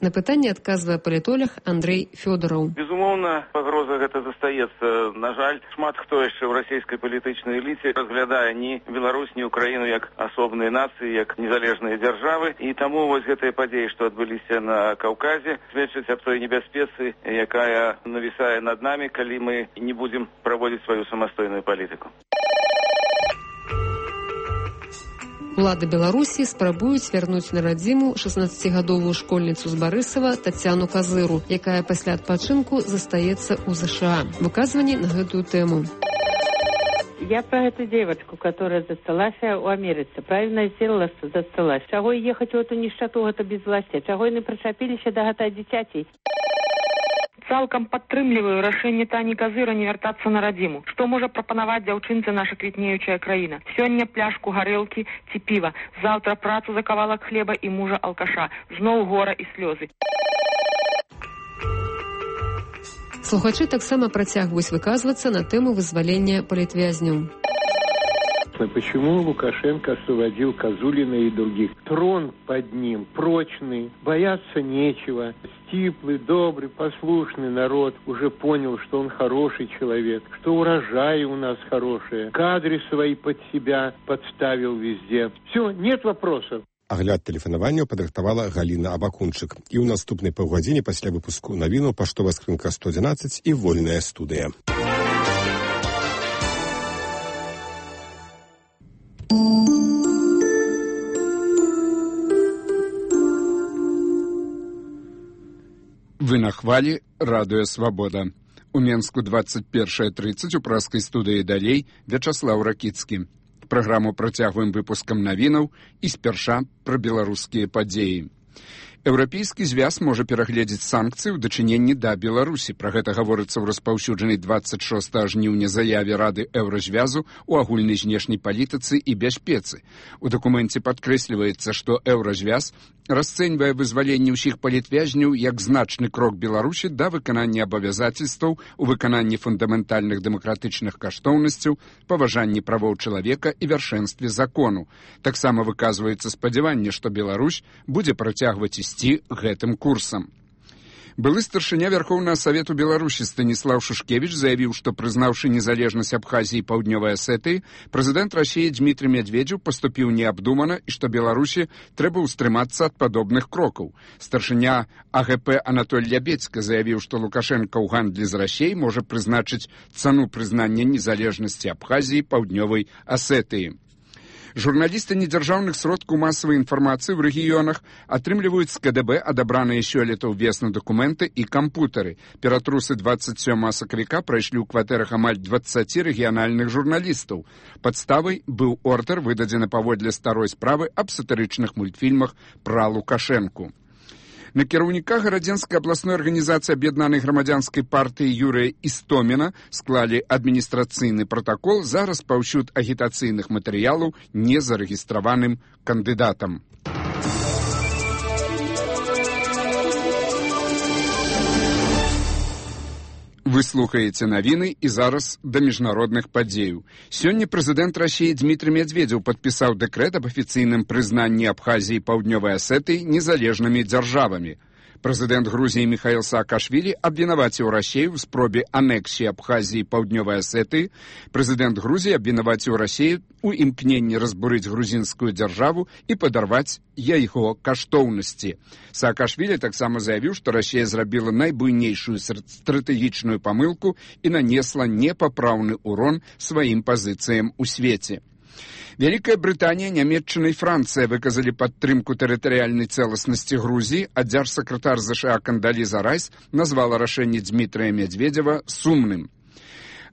На пытанне адказвае палітолог Андрей Фёдораў. Безумоўна, пагроза гэта застаецца. На жаль, шмат хто яшчэ ў расійскай палітычнай эліце разглядае ні Беларусь, ні Украіну як асобныя нацыі, як незалежныя дзяржавы. І таму вось гэтыя падзеі, што адбыліся на Каўказе, сведчаць аб той небяспецы, якая навісае над намі, калі мы не будзем праводзіць сваю самастойную палітыку. Улады Беларусі спрабуюць вярнуць на радзіму шаснаццацігадовую школьніцу з Барысава Тацяну Казыру, якая пасля адпачынку застаецца ў ЗША. Выказванні на гэтую тэму. Я про эту девочку, которая засталась у Америцы, правильно сделала, что засталась. Чаго ехать в эту нищоту, это безвластие? Чаго не причапились до гэта дзіцяці? Цалкам падтрымліваю рашэнне Тані Казыра не вяртацца на радзіму. Што можа прапанаваць дзяўчынцы наша квітнеючая краіна? Сёння пляшку гарэлкі ці піва, заўтра працу за кавалак хлеба і мужа алкаша, зноў гора і слёзы. Слухачы таксама працягваюць выказвацца на тэму вызвалення палітвязняў. Почему Лукашенко освободил Козулина и других? Трон под ним прочный, бояться нечего. Стиплый, добрый, послушный народ уже понял, что он хороший человек, что урожаи у нас хорошие, кадры свои под себя подставил везде. Все, нет вопросов. Агляд тэлефанаванняў падрыхтавала Галіна Абакунчык. І ў наступнай паўгадзіне пасля выпуску навіну паштовая скрынка сто адзінаццаць і вольная студыя. Вы на хвалі радыё Свабода. У Менску двадцать первая тридцать у праскай студыі далей Вячаслаў Ракіцкі. Праграму працягваем выпускам навінаў і спярша пра беларускія падзеі. Еўрапейскі звяз можа перагледзець санкцыі ў дачыненні да Беларусі. Пра гэта гаворыцца ў распаўсюджанай двадцать шостага жніўня заяве Рады Еўразвязу ў агульнай знешняй палітыцы і бяспецы. У дакуменце падкрэсліваецца, што Еўразвяз расцэньвае вызваленне ўсіх палітвязняў як значны крок Беларусі да выканання абавязацельстваў у выкананні фундаментальных дэмакратычных каштоўнасцяў, паважанні правоў чалавека і вяршэнстве закону. Таксама выказваецца спадзяванне, што Беларусь будзе працягваць ісці гэтым курсам. Былы старшыня Вярхоўнага Савету Беларусі Станіслаў Шушкевіч заявіў, што, прызнаўшы незалежнасць Абхазіі і Паўднёвай Асетыі, прэзідэнт Расіі Дмітрый Медведзеў паступіў неабдумана і што Беларусі трэба ўстрымацца ад падобных крокаў. Старшыня А Г П Анатоль Лябецька заявіў, што Лукашенка ў гандлі з Расіяй можа прызначыць цану прызнання незалежнасці Абхазіі і Паўднёвай Асетыі. Журналісты недзяржаўных сродкаў масавай інфармацыі ў рэгіёнах атрымліваюць з К Д Б адабраныя сёлета ўвесну дакументы і кампутары. Ператрусы двадцать сёмага сакавіка прайшлі ў кватэрах амаль дваццаці рэгіянальных журналістаў. Падставай быў ордэр, выдадзены паводле старой справы аб сатырычных мультфільмах пра Лукашэнку. На кіраўніка гарадзенскай абласной арганізацыі аб'яднанай грамадзянскай партыі Юрыя Істоміна склалі адміністрацыйны пратакол за распаўсюд агітацыйных матэрыялаў незарэгістраваным кандыдатам. Вы слухаеце навіны і зараз да міжнародных падзеяў. Сёння прэзідэнт Расіі Дмітрый Медведзеў падпісаў дэкрэт аб афіцыйным прызнанні Абхазіі і Паўднёвай Асетыі незалежнымі дзяржавамі. Прэзідэнт Грузіі Міхаіл Саакашвілі абвінаваціў Расію ў спробе анексіі Абхазіі і Паўднёвай Асетыі. Прэзідэнт Грузіі абвінаваціў Расію ў імкненні разбурыць грузінскую дзяржаву і падарваць яго каштоўнасці. Саакашвілі таксама заявіў, што Расія зрабіла найбуйнейшую стратэгічную памылку і нанесла непапраўны урон сваім пазіцыям у свеце. Вялікая Брытанія, Нямецчына і Францыя выказалі падтрымку тэрытарыяльнай цэласнасці Грузіі, а дзяржсакратар ЗША Кандаліза Райс назвала рашэнне Дмітрыя Медведзева сумным.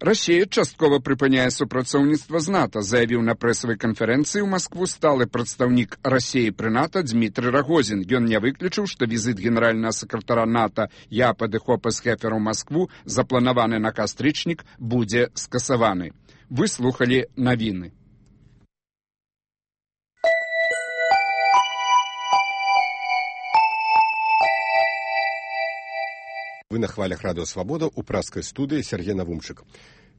Расія часткова прыпыняе супрацоўніцтва з НАТО, заявіў на прэсавай канферэнцыі ў Маскву сталы прадстаўнік Расіі пры НАТО Дмітрый Рагозін. Ён не выключыў, што візіт генеральнага сакратара НАТО Япа де Хопес-Хефера ў Маскву, запланаваны на кастрычнік, будзе скасаваны. Вы слухалі навіны. Вы на хвалях радыё Свабода ў праскай студыі Сергей Навумчык.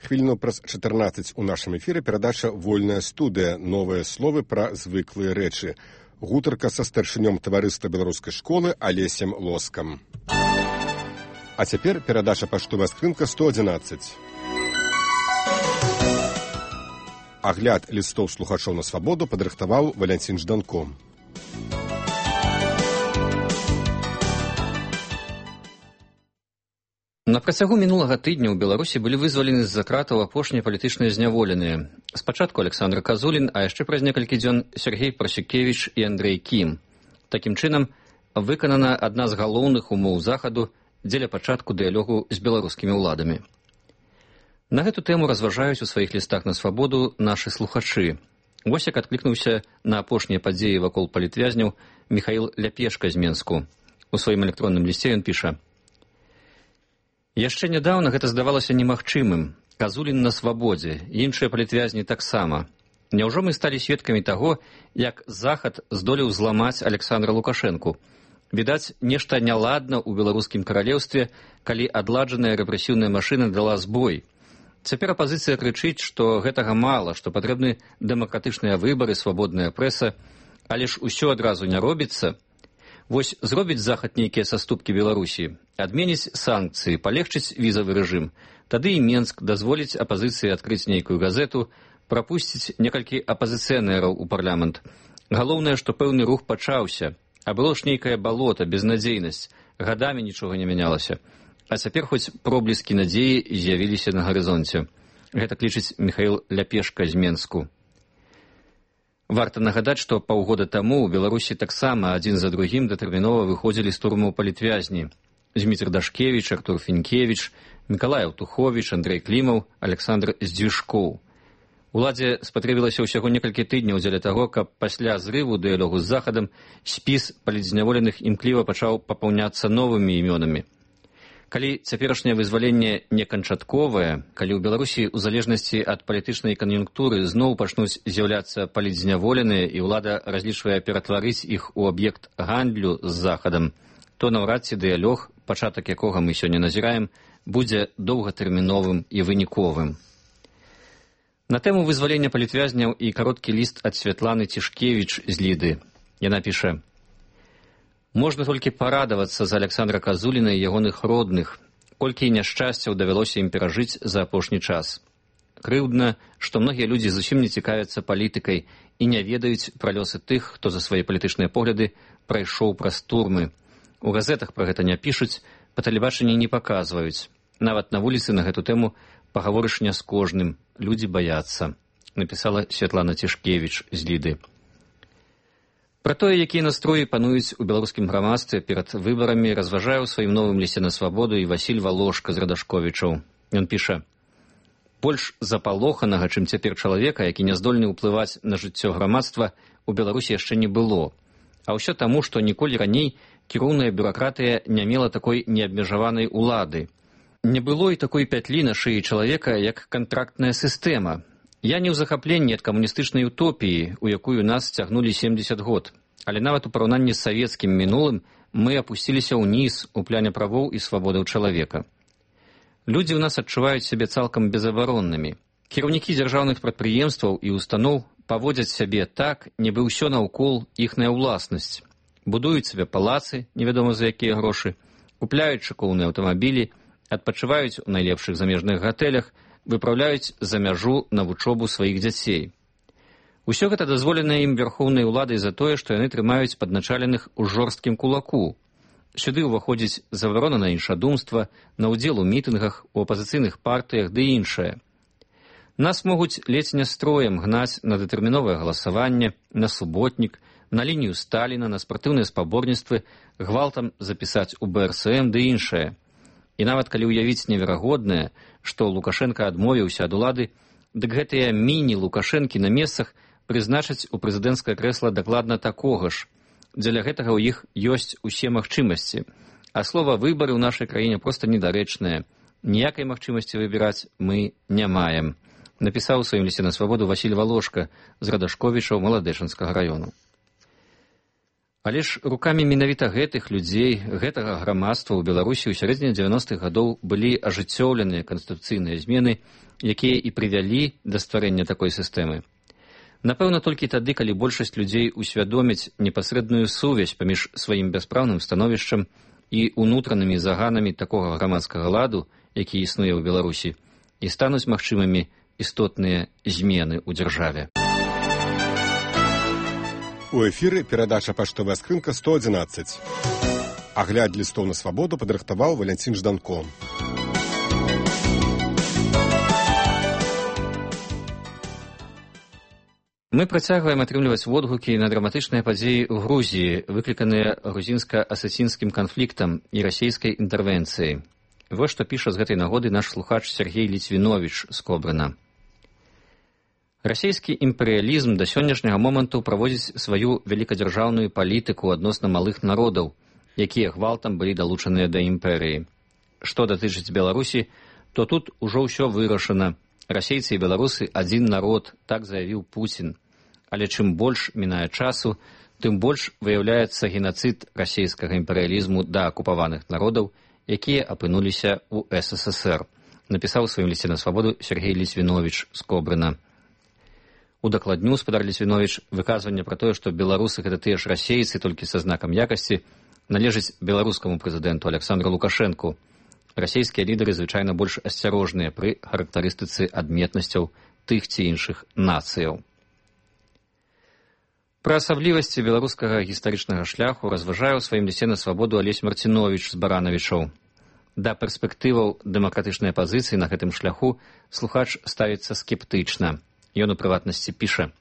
Хвіліну праз чатырнаццаць у нашым эфіры перадача «Вольная студыя. Новыя словы пра звыклыя рэчы». Гутарка са старшынём таварыства беларускай школы Алесем Лоскам. А цяпер перадача паштовая скрынка сто адзінаццаць. Агляд лістоў слухачоў на Свабоду падрыхтаваў Валянцін Жданко. На працягу мінулага тыдня ў Беларусі былі вызвалены з-за кратаў апошнія палітычныя зняволеныя. Спачатку Александр Казулін, а яшчэ праз некалькі дзён Сергей Прасюкевіч і Андрэй Кім. Такім чынам, выканана адна з галоўных умоў захаду дзеля пачатку дыялогу з беларускімі ўладамі. На гэту тэму разважаюць у сваіх лістах на Свабоду нашы слухачы. Вось як адклікнуўся на апошнія падзеі вакол палітвязняў Міхаіл Ляпешка з Менску. У сваім электронным лісце ён піша: «Яшчэ нядаўна гэта здавалася немагчымым. Казулін на свабодзе, іншыя палітвязні таксама. Няўжо мы сталі сведкамі таго, як Захад здолеў зламаць Александра Лукашэнку? Відаць, нешта няладна ў беларускім каралеўстве, калі адладжаная рэпрэсіўная машына дала збой. Цяпер апазіцыя крычыць, што гэтага мала, што патрэбны дэмакратычныя выбары, свабодная прэса, але ж усё адразу не робіцца. Вось зробіць захад нейкія саступкі Беларусі, адменіць санкцыі, палегчыць візавы рэжым, тады і Менск дазволіць апазіцыі адкрыць нейкую газету, прапусціць некалькі апазіцыянераў у парламент. Галоўнае, што пэўны рух пачаўся, а было ж нейкае балота, безнадзейнасць, гадамі нічога не мянялася. А цяпер хоць пробліскі надзеі з'явіліся на гарызонце. Гэта клічыць Міхаіл Ляпешка з Менску. Варта нагадаць, што паўгода таму ў Беларусі таксама адзін за другім датэрмінова выходзілі з турмаў палітвязні. Зміцер Дашкевіч, Артур Фінкевіч, Мікалай Аўтуховіч, Андрэй Клімаў, Александр Здзюшкоў. Уладзе спатрэбілася ўсяго некалькі тыдняў дзеля таго, каб пасля зрыву дыялогу з Захадам спіс палітзняволеных імкліва пачаў папаўняцца новымі імёнамі. Калі цяперашняе вызваленне не канчатковае, калі ў Беларусі ў залежнасці ад палітычнай кан'юнктуры зноў пачнуць з'яўляцца палітзняволеныя і ўлада разлічвае ператварыць іх у аб'ект гандлю з Захадам, то наўрад ці дыялог, пачатак якога мы сёння назіраем, будзе доўгатэрміновым і выніковым. На тэму вызвалення палітвязняў і кароткі ліст ад Святланы Цішкевіч з Ліды. Яна піша: «Можна толькі парадавацца за Александра Казуліна і ягоных родных, колькі няшчасцяў давялося ім перажыць за апошні час. Крыўдна, што многія людзі зусім не цікавяцца палітыкай і не ведаюць пра лёсы тых, хто за свае палітычныя погляды прайшоў праз турмы. У газетах пра гэта не пішуць, па тэлебачанні не паказваюць. Нават на вуліцы на гэту тэму пагаворыш не з кожным, людзі баяцца», напісала Святлана Цішкевіч з Ліды. Пра тое, якія настроі пануюць у беларускім грамадстве перад выбарамі, разважае ў сваім новым лісце на свабоду і Васіль Валошка з Радашковічаў. Ён піша: «Больш запалоханага, чым цяпер чалавека, які не здольны ўплываць на жыццё грамадства, у Беларусі яшчэ не было. А ўсё таму, што ніколі раней кіроўная бюракратыя не мела такой неабмежаванай улады. Не было і такой пятлі на шыі чалавека, як кантрактная сістэма. Я не ў захапленні ад камуністычнай утопіі, у якую нас цягнулі семдзесят год, але нават у параўнанні з савецкім мінулым мы апусціліся ўніз у пляне правоў і свабодаў чалавека. Людзі ў нас адчуваюць сябе цалкам безабароннымі. Кіраўнікі дзяржаўных прадпрыемстваў і устаноў паводзяць сябе так, нібы ўсё наўкол іхная ўласнасць. Будуюць сабе палацы, невядома за якія грошы, купляюць шыкоўныя аўтамабілі, адпачываюць у найлепшых замежных гатэлях, выпраўляюць за мяжу на вучобу сваіх дзяцей. Усё гэта дазволена ім вярхоўнай уладай за тое, што яны трымаюць падначаленых у жорсткім кулаку. Сюды ўваходзіць забарона на іншадумства, на ўдзел у мітынгах, у апазіцыйных партыях ды іншае. Нас могуць ледзь не строем гнаць на дэтэрміновае галасаванне, на суботнік, на лінію Сталіна, на спартыўныя спаборніцтвы, гвалтам запісаць у бэ эр эс эм ды іншае. І нават калі ўявіць неверагоднае, што Лукашенка адмовіўся ад улады, дык гэтыя міні-лукашэнкі на месцах прызначаць у прэзідэнцкае крэсла дакладна такога ж. Дзеля гэтага ў іх ёсць усе магчымасці. А слова «выбары» ў нашай краіне проста недарэчнае. Ніякай магчымасці выбіраць мы не маем, напісаў у сваім лісце на свабоду Васіль Валошка з Радашковічаў Маладэчанскага раёну. Але ж рукамі менавіта гэтых людзей, гэтага грамадства ў Беларусі ў сярэдзіне дзевяностых гадоў былі ажыццёўленыя канстытуцыйныя змены, якія і прывялі да стварэння такой сістэмы. Напэўна, толькі тады, калі большасць людзей усвядоміць непасрэдную сувязь паміж сваім бяспраўным становішчам і унутранымі заганамі такога грамадскага ладу, які існуе ў Беларусі, і стануць магчымымі істотныя змены ў дзяржаве. У эфіры перадача «Паштовая скрынка сто адзінаццаць». Агляд лістоў на свабоду падрыхтаваў Валянцін Жданко. Мы працягваем атрымліваць водгукі на драматычныя падзеі ў Грузіі, выкліканыя грузінска-асацінскім канфліктам і расійскай інтэрвенцыяй. Вось што піша з гэтай нагоды наш слухач Сергей Ліцвіновіч з Кобрына. Расійскі імперыялізм да сённяшняга моманту праводзіць сваю вялікадзяржаўную палітыку адносна малых народаў, якія гвалтам былі далучаныя да імперыі. Што датычыць Беларусі, то тут ужо ўсё вырашана. Расейцы і беларусы адзін народ, так заявіў Пуцін. Але чым больш мінае часу, тым больш выяўляецца генацыд расійскага імперыялізму да акупаваных народаў, якія апынуліся ў эс эс эс эр, напісаў у сваім лісце на свабоду Сергей Ліцвіновіч з Кобрына. Удакладню спадар Ліцвіновіч выказванне пра тое, што беларусы гэта тыя ж расейцы, толькі са знакам якасці, належыць беларускаму прэзідэнту Александру Лукашэнку. Расійскія лідары звычайна больш асцярожныя пры характарыстыцы адметнасцяў тых ці іншых нацыяў. Пра асаблівасці беларускага гістарычнага шляху разважае ў сваім лісце на свабоду Алесь Марціновіч з Баранавічаў. Да перспектываў дэмакратычнай апазіцыі на гэтым шляху слухач ставіцца скептычна. Ён у прыватнасці піша: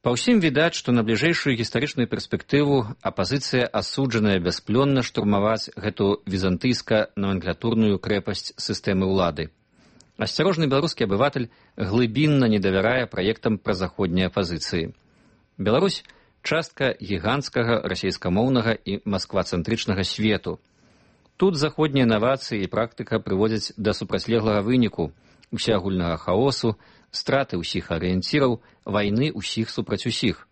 «Па ўсім відаць, што на бліжэйшую гістарычную перспектыву апазіцыя асуджаная бясплённа штурмаваць гэту візантыйска-номенклатурную крэпасць сістэмы ўлады. Асцярожны беларускі абыватель глыбінна не давярае праектам празаходняй апазіцыі. Беларусь – частка гіганцкага расейскамоўнага і масквацэнтрычнага свету. Тут заходнія навацыі і практыка прыводзяць да супрацьлеглага выніку, усеагульнага хаосу, страты ўсіх арыенціраў, вайны ўсіх супраць усіх.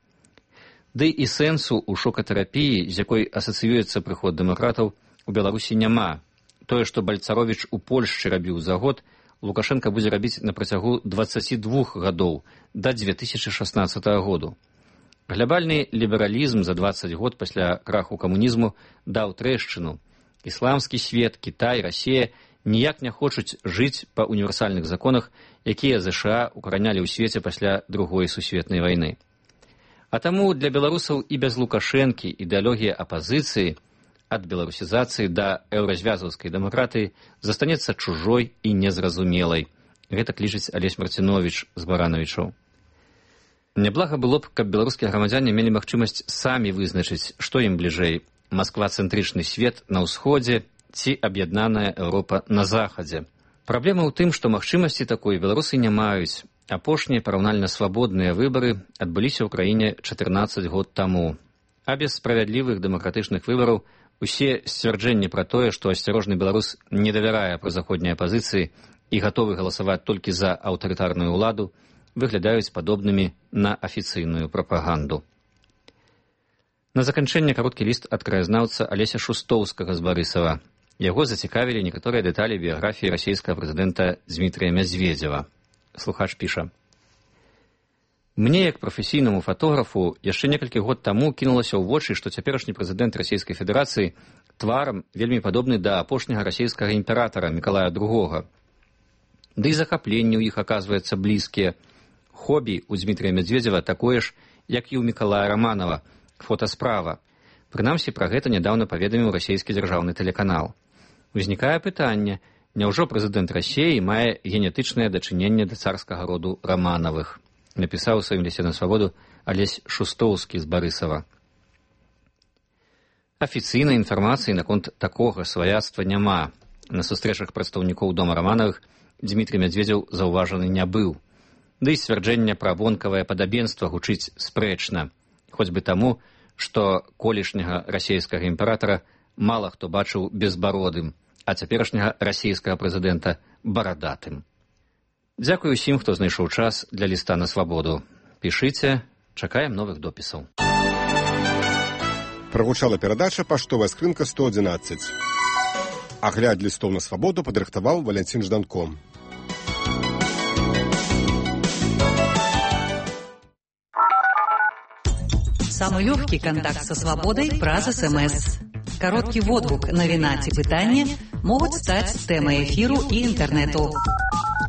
Ды і сэнсу ў шокатэрапіі, з якой асацыюецца прыход дэмакратаў, у Беларусі няма. Тое, што Бальцаровіч у Польшчы рабіў за год, Лукашенка будзе рабіць на працягу дваццаці двух гадоў да дзве тысячы шаснаццатага году. Глябальны лібералізм за дваццаць год пасля краху камунізму даў трэшчыну. Ісламскі свет, Кітай, Расія ніяк не хочуць жыць па універсальных законах, якія ЗША укаранялі ў свеце пасля другой сусветнай вайны. А таму для беларусаў і без Лукашэнкі ідэалогія апазіцыі ад беларусізацыі да еўразвязаўскай дэмакратыі застанецца чужой і незразумелай. Гэта лічыць Алесь Марціновіч з Баранавічаў. Няблага было б, каб беларускія грамадзяне мелі магчымасць самі вызначыць, што ім бліжэй – масква-цэнтрычны свет на ўсходзе ці аб'яднаная Еўропа на захадзе. Праблема ў тым, што магчымасці такой беларусы не маюць. Апошнія параўнальна свабодныя выбары адбыліся ў краіне чатырнаццаць год таму. А без справядлівых дэмакратычных выбараў усе сцвярджэнні пра тое, што асцярожны беларус не давярае прозаходняй апазіцыі і гатовы галасаваць толькі за аўтарытарную ўладу, выглядаюць падобнымі на афіцыйную прапаганду. На заканчэнне кароткі ліст ад краязнаўца Алеся Шустоўскага з Барысава. Яго зацікавілі некаторыя дэталі біяграфіі расійскага прэзідэнта Дзмітрыя Мядзведзева. Слухач піша: «Мне, як прафесійнаму фатографу, яшчэ некалькі год таму кінулася ў вочы, што цяперашні прэзідэнт Расійскай Федэрацыі тварам вельмі падобны да апошняга расійскага імператара Мікалая другога. Ды і захапленні ў іх аказваюцца блізкія. Хобі ў Дзмітрыя Мядзведзева такое ж, як і ў Мікалая Раманова, фотасправа. Прынамсі, пра гэта нядаўна паведаміў расійскі дзяржаўны тэлеканал. Узнікае пытанне, няўжо прэзідэнт Расіі мае генетычнае дачыненне да царскага роду Раманавых? Напісаў у сваім лісце на свабоду Алесь Шустоўскі з Барысава. Афіцыйнай інфармацыі наконт такога сваяцтва няма. На сустрэчах прадстаўнікоў дома Раманавых Дзмітрый Мядзведзеў заўважаны не быў. Ды і сцвярджэнне пра вонкавае падабенства гучыць спрэчна, хоць бы таму, што колішняга расійскага імператара мала хто бачыў безбародым, а цяперашняга расійскага прэзідэнта барадатым. Дзякуй усім, хто знайшоў час для ліста на свабоду. Пішыце, чакаем новых допісаў. Прагучала перадача «Паштовая скрынка сто адзінаццаць». Агляд лістоў на свабоду падрыхтаваў Валянцін Жданко. Самый легкий контакт со свободой праз СМС. Короткий водгук, навіна ці пытанне могуць стаць тэмай эфіру і інтэрнэту.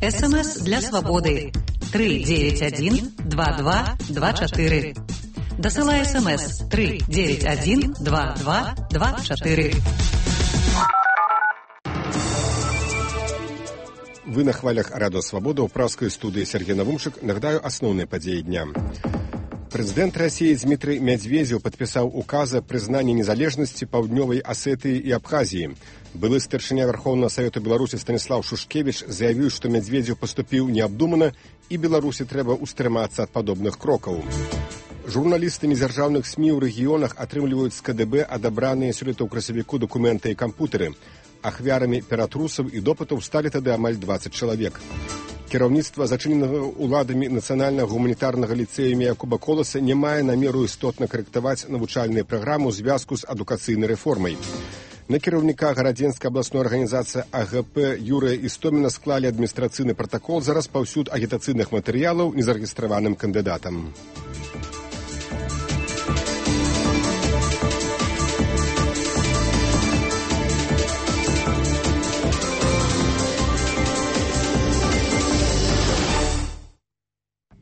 СМС для свободы три девять один два два два четыре. Дасылай СМС три девять один два два два четыре. Вы на хвалях Радио Свобода ў праўскай студыі Сергей Навумчык. Нагадаю асноўныя падзеі дня. Прэзідэнт Расіі Дзмітрый Мядзведзеў падпісаў указ о прызнанні незалежнасці Паўднёвай Асетыі і Абхазіі. Былы старшыня Верховнага Савету Беларусі Станіслаў Шушкевіч заявіў, што Мядзведзеў паступіў неабдумана і Беларусі трэба ўстрымацца ад падобных крокаў. Журналісты незяржаўных СМІ ў рэгіёнах атрымліваюць з КДБ адабраныя сёлета ў красавіку дакументы і кампутары. Ахвярамі ператрусаў і допытаў сталі тады амаль дваццаць чалавек. Кіраўніцтва зачыненага ўладамі нацыянальнага гуманітарнага ліцэя Якуба Коласа не мае намеру істотна карэктаваць навучальную праграму ў звязку з адукацыйнай рэформай. На кіраўніка гарадзенскай абласной арганізацыі А Г П Юрыя Істоміна склалі адміністрацыйны пратакол за распаўсюд агітацыйных матэрыялаў незарэгістраваным кандыдатам.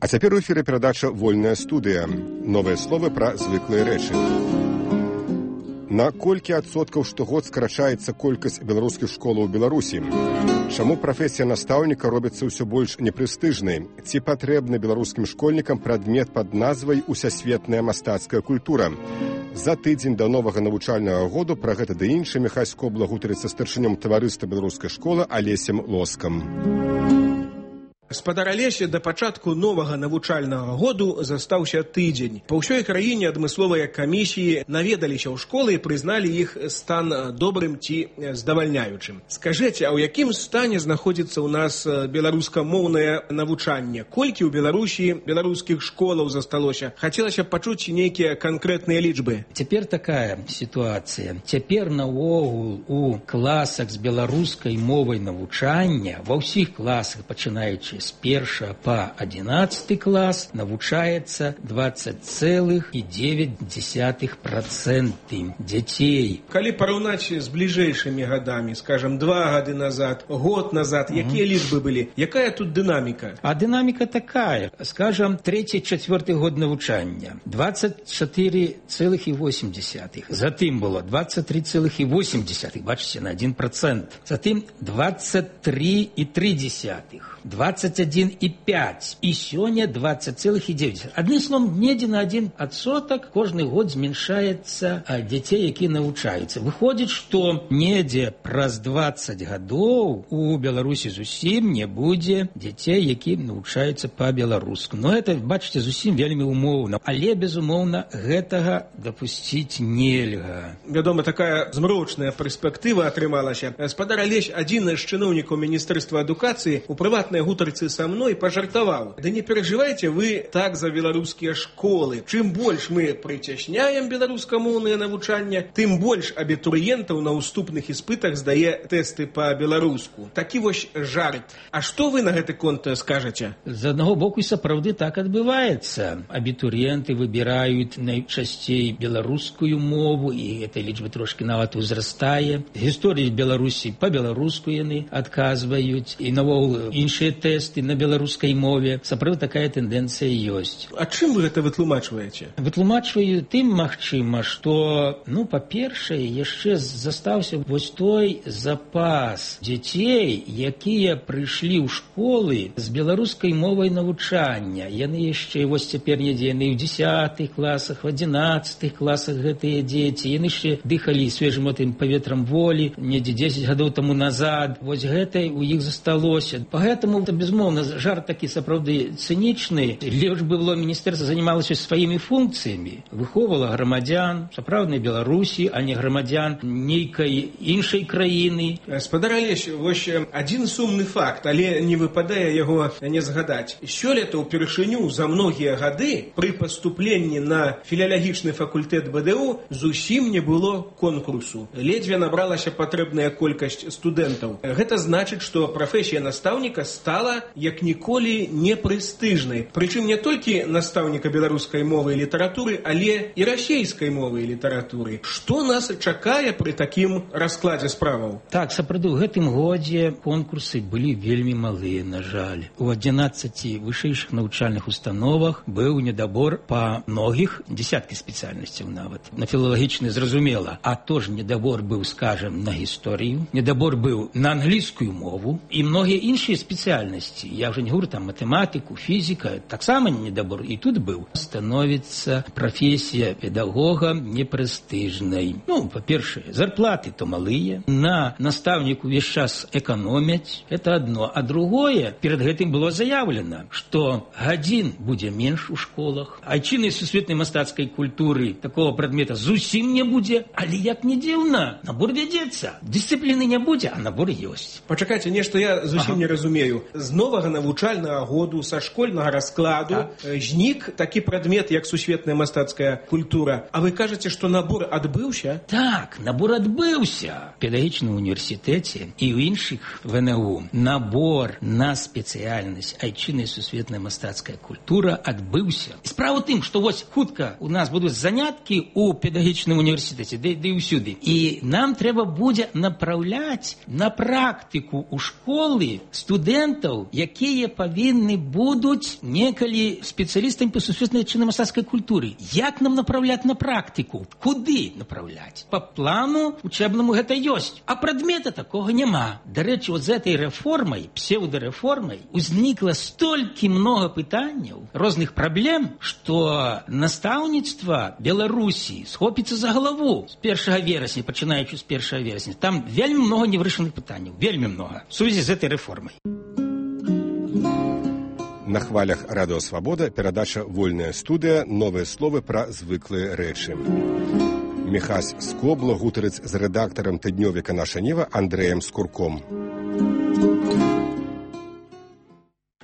А цяпер у эфіры перадача «Вольная студыя». Новыя словы пра звыклыя рэчы. На колькі адсоткаў штогод скарачаецца колькасць беларускіх школаў у Беларусі? Чаму прафесія настаўніка робіцца ўсё больш непрэстыжнай? Ці патрэбны беларускім школьнікам прадмет пад назвай «Усасветная мастацкая культура»? За тыдзень да новага навучальнага году пра гэта ды іншае Міхась Скобла гутарыцца з старшынём таварыства беларускай школы Алесем Лоскам. Спадар Алеся, да пачатку новага навучальнага году застаўся тыдзень. Па ўсёй краіне адмысловыя камісіі наведаліся ў школы і прызналі іх стан добрым ці здавальняючым. Скажыце, а ў якім стане знаходзіцца ў нас беларускамоўнае навучанне? Колькі ў Беларусі беларускіх школаў засталося? Хацелася б пачуць нейкія канкрэтныя лічбы. Цяпер такая сітуацыя. Цяпер наогул у класах з беларускай мовай навучання, ва ўсіх класах, пачынаючы з першага па адзінаццаты клас, навучаецца дваццаць цэлых дзевяць дзесятых працэнта дзяцей. Калі параўнаць з бліжэйшымі гадамі, скажам, два гады назад, год назад, якія лічбы былі? Якая тут дынаміка? А дынаміка такая. Скажам, трэці-чацвёрты год навучання. дваццаць чатыры цэлых восемь дзесятых. Затым было дваццаць тры цэлых восемь дзесятых. Бачыце, на адзін працэнт. Затым дваццаць тры і тры дзесятых. двадцать один и пять. И сёння двадцать целых девять. Одним словом, недзе на один адсотак кожны год зменшаецца дзяцей, якія навучаюцца. Выходзіць, што недзе праз двадцать гадоў у Беларусі зусім не будзе дзяцей, якія навучаюцца па-беларуску. Но это, бачыце, зусім вельмі умоўна. Але, безумоўна, гэтага дапусціць нельга. Вядома, такая змрочная перспектыва атрымалася. Спадар Алесь, адзін з чыноўнікаў Міністэрства адукацыі, у прыватнай гутарцы са мной пожартаваў: да не переживайте вы так за беларускія школы. Чым больш мы прыцясняем беларускамоўнае навучанне, тым больш абітурыентаў на ўступных іспытах здае тэсты па-беларуску. Такі вось жарт. А што вы на гэты конт скажаце? З аднаго боку, і сапраўды так адбываецца. Абітурыенты выбіраюць найчасцей беларускую мову, і эта лічба трошки нават узрастае. Гісторыі Беларусі па-беларуску яны адказваюць, і навогул іншыя тэсты на беларускай мове. Сапраўды такая тэндэнцыя ёсць. А чым вы гэта вытлумачваеце? Вытлумачваю тым, магчыма, што, ну, па-першае, яшчэ застаўся вось той запас дзяцей, якія прыйшлі ў школы з беларускай мовай навучання. Яны яшчэ, вось цяпер недзе яны ў дзесятых класах, в адзінаццатых класах гэтыя дзеці. Яны яшчэ дыхалі свежым гэтым паветрам волі недзе дзесяць гадоў таму назад. Вось гэта у іх засталося. Поэтому, безумоўна, жарт такі сапраўды цынічны. Лепш бы было міністэрства занималася сваімі функцыямі, выхоўвала грамадзян сапраўднай Беларусі, а не грамадзян нейкай іншай краіны. Спадар Алесь, вось адзін сумны факт, але не выпадае яго не згадаць. Сёлета ўпершыню за многія гады пры паступленні на філалагічны факультэт Б Д У зусім не было конкурсу. Ледзьве набралася патрэбная колькасць студэнтаў. Гэта значыць, што прафесія настаўніка стала як ніколі непрэстыжнай. Прычым не толькі настаўніка беларускай мовы і літаратуры, але і расейскай мовы і літаратуры. Што нас чакае пры такім раскладзе справаў? Так, сапраўды, у гэтым годзе конкурсы былі вельмі малыя, на жаль. У адзінаццаці вышэйшых навучальных установах быў недабор па многіх, дзесяткі спецыяльнасцяў нават. На філалагічны, зразумела. А то ж недабор быў, скажем, на гісторыю, недабор быў на англійскую мову і многія іншыя спецыяльнасці. Я вже не говорю там математику, фізіка, таксама недабор і тут быў. Становіцца прафесія педагога непрэстыжнай. Ну, па-першае, зарплаты то малыя, на настаўніку увесь час эканомяць, это одно. А другое, перед гэтым было заявлена, што гадзін будзе менш у школах, айчыннай сусветнай мастацкай культуры такого прадмета зусім не будзе, але як не дзіўна, набор вядзецца. Дысцыпліны не будзе, а набор ёсць. Пачакайце, нешта я зусім ага. не разумею. Зноў новага навучальнага году са школьнага раскладу так. знік такі прадмет, як сусветная мастацкая культура. А вы кажаце, што набор адбыўся? Так, набор адбыўся. В педагогічным універсітэце і ў іншых вэ эн у набор на спецыяльнасць айчынная сусветная мастацкая культура адбыўся. І справа ў тым, што вось хутка у нас будуць заняткі ў педагогічным універсітэце, ды і ўсюды. І нам трэба будзе направляць на практыку ў школы студэнтаў, якія павінны будуць некалі спецыялістамі па сусветнай айчыннай мастацкай культуры. Як нам направляць на практыку? Куды направляць? Па плану учебнаму гэта ёсць, а прадмета такога няма. Дарэчы, вот з этой рэформай, псеўдарэформай, узнікла столькі многа пытанняў, розных праблем, што настаўніцтва Беларусі схопіцца за галаву з першага верасня, пачынаючы з першага верасня. Там вельмі многа невырашаных пытанняў, вельмі многа в сувязі з этой рэформай. На хвалях Радыё Свабода перадача «Вольная студыя», новыя словы пра звыклыя рэчы. Міхась Скобла гутарыць з рэдактарам тыднёвіка «Наша Нева» Андрэем Скурком.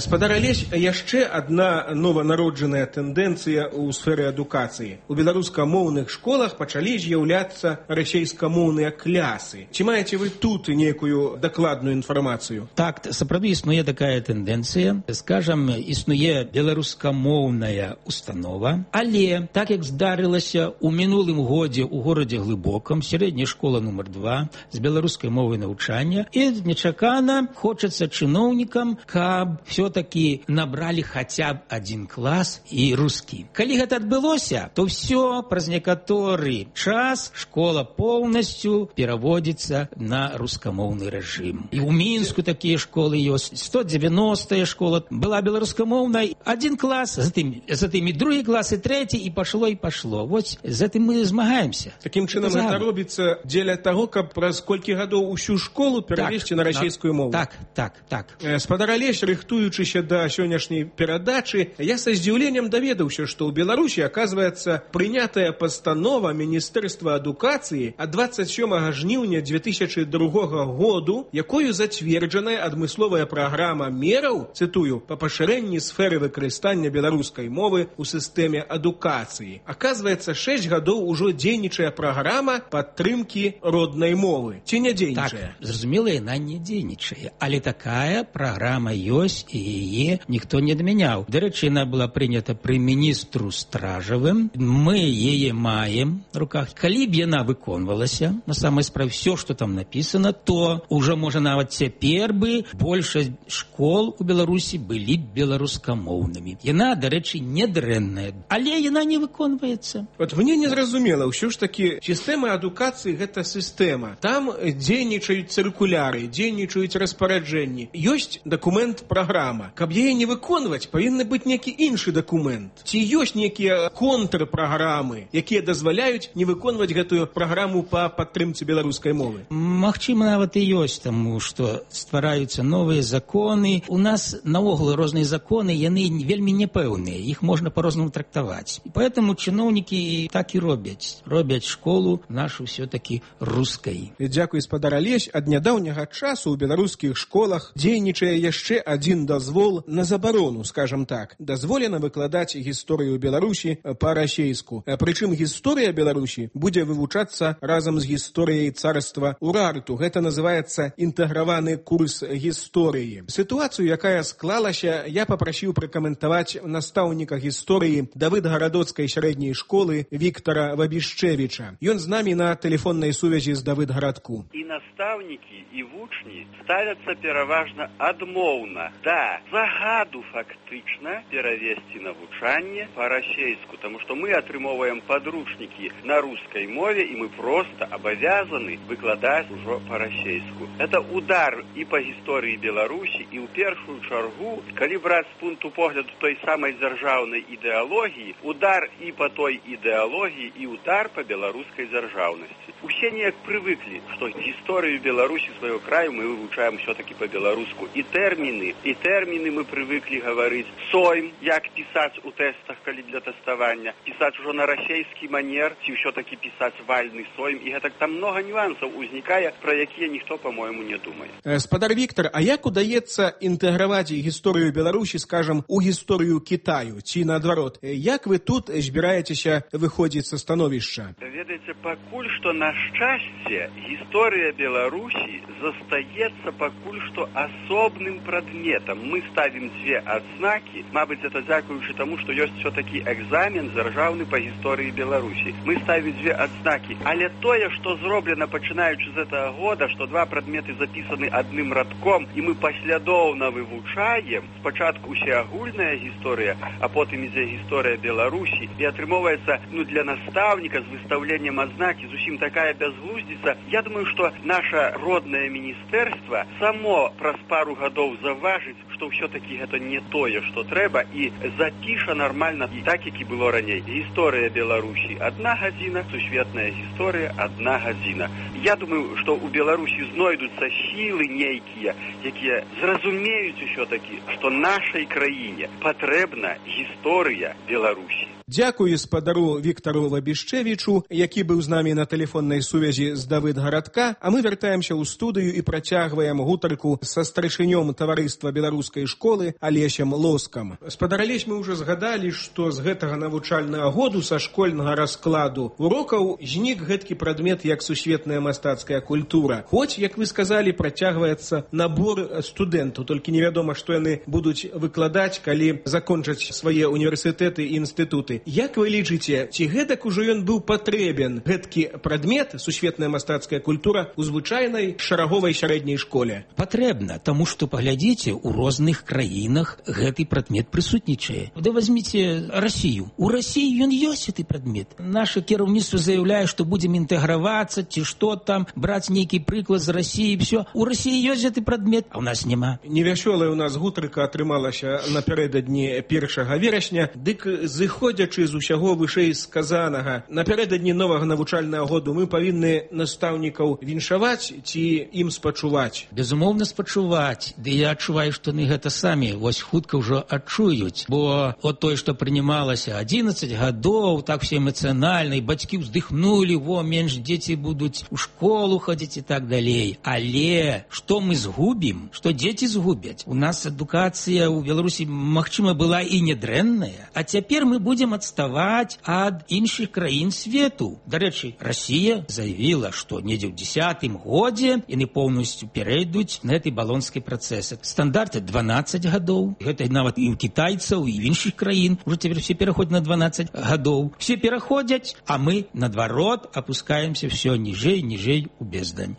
Гаспадар Алесь, яшчэ адна нованароджаная тэндэнцыя ў сферы адукацыі. У беларускамоўных школах пачалі з'яўляцца расейскамоўныя клясы. Ці маеце вы тут нейкую дакладную інфармацыю? Так, сапраўды існуе такая тэндэнцыя. Скажам, існуе беларускамоўная установа, але так як здарылася ў мінулым годзе ў горадзе Глыбокам, сярэдняя школа нумар два з беларускай мовай навучання, і нечакана хочацца чыноўнікам, каб все таки набрали хотя б один клас і рускі. Калі гэта адбылося, то все праз некаторы час школа полностью пераводзіцца на рускамоўны рэжым. І ў Мінску такія школы ёсць. сто девяностая школа была беларускамоўнай. Один клас, затым, затым і другі клас, і трэці, і пашло, і пашло. Вось з гэтым мы змагаемся. Такім чынам гэта робіцца дзеля таго, каб праз колькі гадоў усю школу перавесці так, на расійскую мову. Так, так, так. Гаспадар Алесь, рыхтуючыся да сённяшняй перадачы, я са здзіўленнем даведаўся, што ў Беларусі, аказваецца, прынятая пастанова Міністэрства адукацыі ад двадцать сёмага жніўня две тысячи другога году, якою зацверджаная адмысловая праграма мераў, цытую, па пашырэнні сферы выкарыстання беларускай мовы ў сістэме адукацыі. Аказваецца, шэсць гадоў ужо дзейнічае праграма падтрымкі роднай мовы. Ці не дзейнічае? Так, зразумела, яна не дзейнічае, але такая праграма ёсць, і яе ніхто не адмяняў. Дарэчы, яна была прынята пры міністру Стражавым. Мы яе маем в руках. Калі б яна выконвалася, на самой справе, все, што там написано, то уже, можа, нават цяпер бы большасць школ у Беларусі былі беларускамоўнымі. Яна, дарэчы, не дрэнная, але яна не выконваецца. Вот мне не зразумела, ўсё ж таки сістэма адукацыі гэта сістэма. Там дзейнічаюць цыркуляры, дзейнічаюць распараджэнні. Ёсць дакумент праграма. Каб яе не выконваць, павінны быць нейкі іншы дакумент. Ці ёсць нейкія контрпраграмы, якія дазваляюць не выконваць гэтую праграму па падтрымцы беларускай мовы? Магчыма, нават і ёсць, таму што ствараюцца новыя законы. У нас наогул розныя законы, яны вельмі непэўныя, іх можна па-рознаму трактаваць. І поэтому чыноўнікі так і робяць. Робяць школу нашу все-таки рускай. Дзякуй, гаспадар Алесь. Ад нядаўняга часу ў беларускіх школах дзейнічае яшчэ адзін дазвол на забарону, скажем так. Дазволена выкладаць гісторыю Беларусі па-расейску. Прычым гісторыя Беларусі будзе вывучацца разам з гісторыяй царства Урарту. Гэта называецца інтэграваны курс гісторыі. Сітуацыю, якая склалася, я папрасіў пракаментаваць настаўніка гісторыі Давыдгарадоцкай сярэдняй школы Віктара Вабішчэвіча. Ён з намі на тэлефоннай сувязі з Давыдгарадку. І настаўнікі, і вучні ставяцца пераважна адмоўна. Да, загаду фактычна перавесці навучанне па-расейску, таму што мы атрымоўваем падручнікі на рускай мове, і мы проста абавязаны выкладаць ужо па-расейску. Это удар і па гісторыі Беларусі, і ў першую чаргу, калі браць з пункту погляду той самай дзяржаўнай ідэалогіі, удар і па той ідэалогіі, і удар па беларускай дзяржаўнасці. У усе неяк прывыклі, што гісторыю Беларусі свайго краю мы вывучаем ўсё-такі па-беларуску. І тэрміны, і тэрміны мы прывыклі гаварыць. Сойм, як пісаць у тэстах, калі для тэставання, пісаць ужо на расейскі манер, ці ўсё-такі пісаць вальны сойм. І гэтак там многа нюансаў узнікае, пра якія ніхто, па-мойму, не думае. Спадар Віктор, а як удаецца інтэграваць гісторыю Беларусі, скажам, у гісторыю Кітаю, ці наадварот? Як вы тут збіраецеся выходзіць са становішча? Ведаеце, пакуль што, на шчасце, гісторыя Беларусі застаецца пакуль што асобным прадметам. Мы ставім дзве адзнакі, мабыць, это дзякуючы таму, што ёсць все-таки экзамен дзяржаўны па гісторыі Беларусі. Мы ставім дзве адзнакі, але тое, што зроблена пачынаючы з гэтага года, што два прадметы запісаны адным радком, і мы паслядоўна вывучаем, спачатку усеагульная гісторыя, а потым ідзе гісторыя Беларусі, і атрымоўваецца, ну, для настаўніка з выстаўленнем адзнакі зусім такая бязглуздзіца. Я думаю, што наша роднае міністэрства само праз пару гадоў заўважыць, што ўсё-такі гэта не тое, што трэба, і запіша нармальна так, як і было раней. Гісторыя Беларусі адна гадзіна, сусветная гісторыя адна гадзіна. Я думаю, што ў Беларусі знойдуцца сілы нейкія, якія зразумеюць усё-такі, што нашай краіне патрэбна гісторыя Беларусі. Дзякую спадару Віктару Лабішчевічу, які быў з намі на тэлефоннай сувязі з Давыдгарадка, а мы вяртаемся ў студыю і працягваем гутарку са старшынём таварыства беларускай школы Алесем Лоскам. Спадар Алесь, мы ўжо згадалі, што з гэтага навучальнага году са школьнага раскладу урокаў знік гэткі прадмет як сусветная мастацкая культура. Хоць, як вы сказалі, працягваецца набор студэнтаў, толькі невядома, што яны будуць выкладаць, калі закончаць свае універсітэты і інстытуты. Як вы лічыце, ці гэтак ужо ён быў патрэбен, гэткі прадмет, сусветная мастацкая культура, у звычайнай шараговай сярэдняй школе? Патрэбна, таму што, паглядзіце, у розных краінах гэты прадмет прысутнічае. Да возьміце Расію. У Расіі ён ёсць гэты прадмет. Наша кіраўніцтва заяўляе, што будзем інтэгравацца, ці што там, браць нейкі прыклад з Расіі, всё. У Расіі ёсць гэты прадмет, а ў нас няма. Невясёлая ў нас гутарка атрымалася напярэдадні першага верасня, дык зыходзячы з усяго вышэй сказанага, напярэдадні новага навучальнага году мы павінны настаўнікаў віншаваць ці ім спачуваць? Безумоўна, спачуваць. Ды я адчуваю, што яны гэта самі вось хутка ўжо адчуюць, бо от тое, што прынималася адзінаццаць гадоў, так все эмацыянальна, і бацькі ўздыхнулі, во, менш дзеці будуць у школу хадзіць і так далей. Але што мы згубім, што дзеці згубяць? У нас адукацыя ў Беларусі, магчыма, была і недрэнная, а цяпер мы будзем адставаць ад іншых краін свету. Дарэчы, Расія заявіла, што недзе ў дзесятым годзе яны поўнасцю перайдуць на гэты балонскі працэс. Стандарты дванаццаць гадоў. Гэта нават і ў кітайцаў, і ў іншых краін. Ужо цяпер все пераходзяць на дванаццаць гадоў. Все пераходзяць, а мы, наадварот, апускаемся все ніжэй, ніжэй у бездань.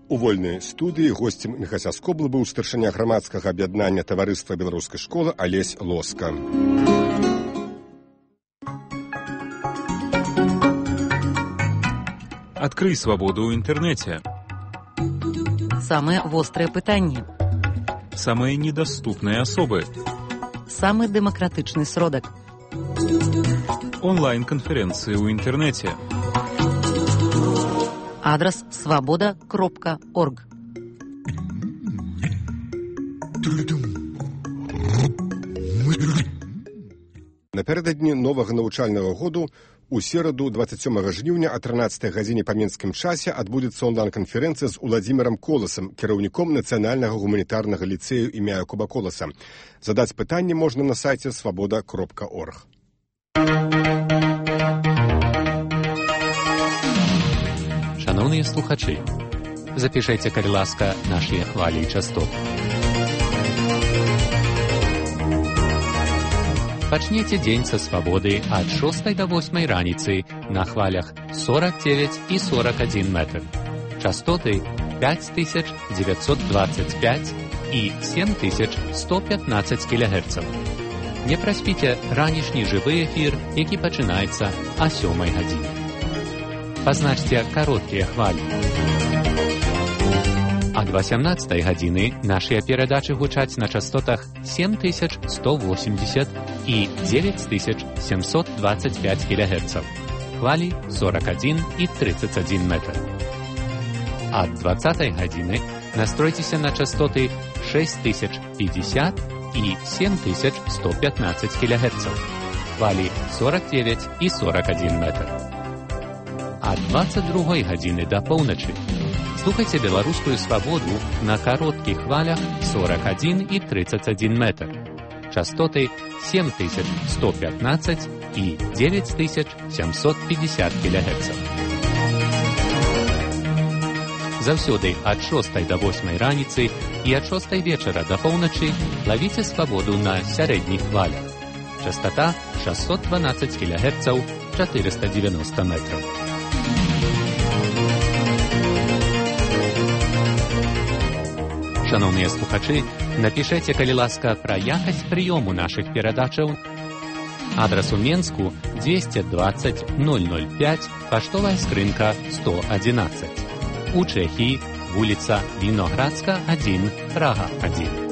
У вольнай студыі госцем Міхася Скобла быў старшыня грамадскага аб'яднання таварыства беларускай школы Алесь Лоска. Открый свободу ў інтэрнэце. Самые вострые пытанні. Самые недоступные особы. Самый демократичный сродок. Онлайн-конференции ў інтэрнэце. Адрес свобода кропка орг. Напярэдадні новага навучальнага году у сераду двадцать сёмага жніўня о трынаццатай гадзіне па мінскім часе адбудзецца онлайн-канферэнцыя з Уладзімірам Коласам, кіраўніком нацыянальнага гуманітарнага ліцэю імя Якуба Коласа. Задаць пытанне можна на сайце свобода кропка орг. Шановні слухачі, запишайте, калі ласка, наші хвалі і частоты. Пачніце дзень са свабоды ад шостай да восьмай раніцы на хвалях сорок девять і сорок один метр. Частоты пять тысяч девятьсот двадцать пять і семь тысяч сто пятнадцать кілогерцаў. Не праспіце ранішні жывы эфір, які пачынаецца о сёмай гадзіне. Пазначце кароткія хвалі. Ад васямнаццатай гадзіны нашыя перадачы гучаць на частотах семь тысяч сто восемьдесят і девять тысяч семьсот двадцать пять кілогерцаў. хвалі сорок один і тридцать один метр. Ад двадцатай гадзіны настройцеся на частоты шесть тысяч пятьдесят і семь тысяч сто пятнадцать килогерцев, хвалі сорок девять і сорок один метр. Ад двадцать другой гадзіны да поўначы слухайце беларускую свабоду на кароткіх хвалях сорок один і тридцать один метр, частоты семь тысяч сто пятнадцать и девять тысяч семьсот пятьдесят килогерцев. Заўсёды ад шостай да восьмай раніцы і ад шостай вечара да поўначы лавіце свабоду на сярэдніх хвалях. Частота шестьсот двенадцать килогерцев, четыреста девяносто метров. Шановныя слухачы, напішэце, калі ласка, пра якасць прыёму нашых перадачаў. Адрас у Менску двести двадцать ноль ноль пять, паштовая скрынка сто одиннадцать. У Чэхіі вуліца Віноградска один, Прага один.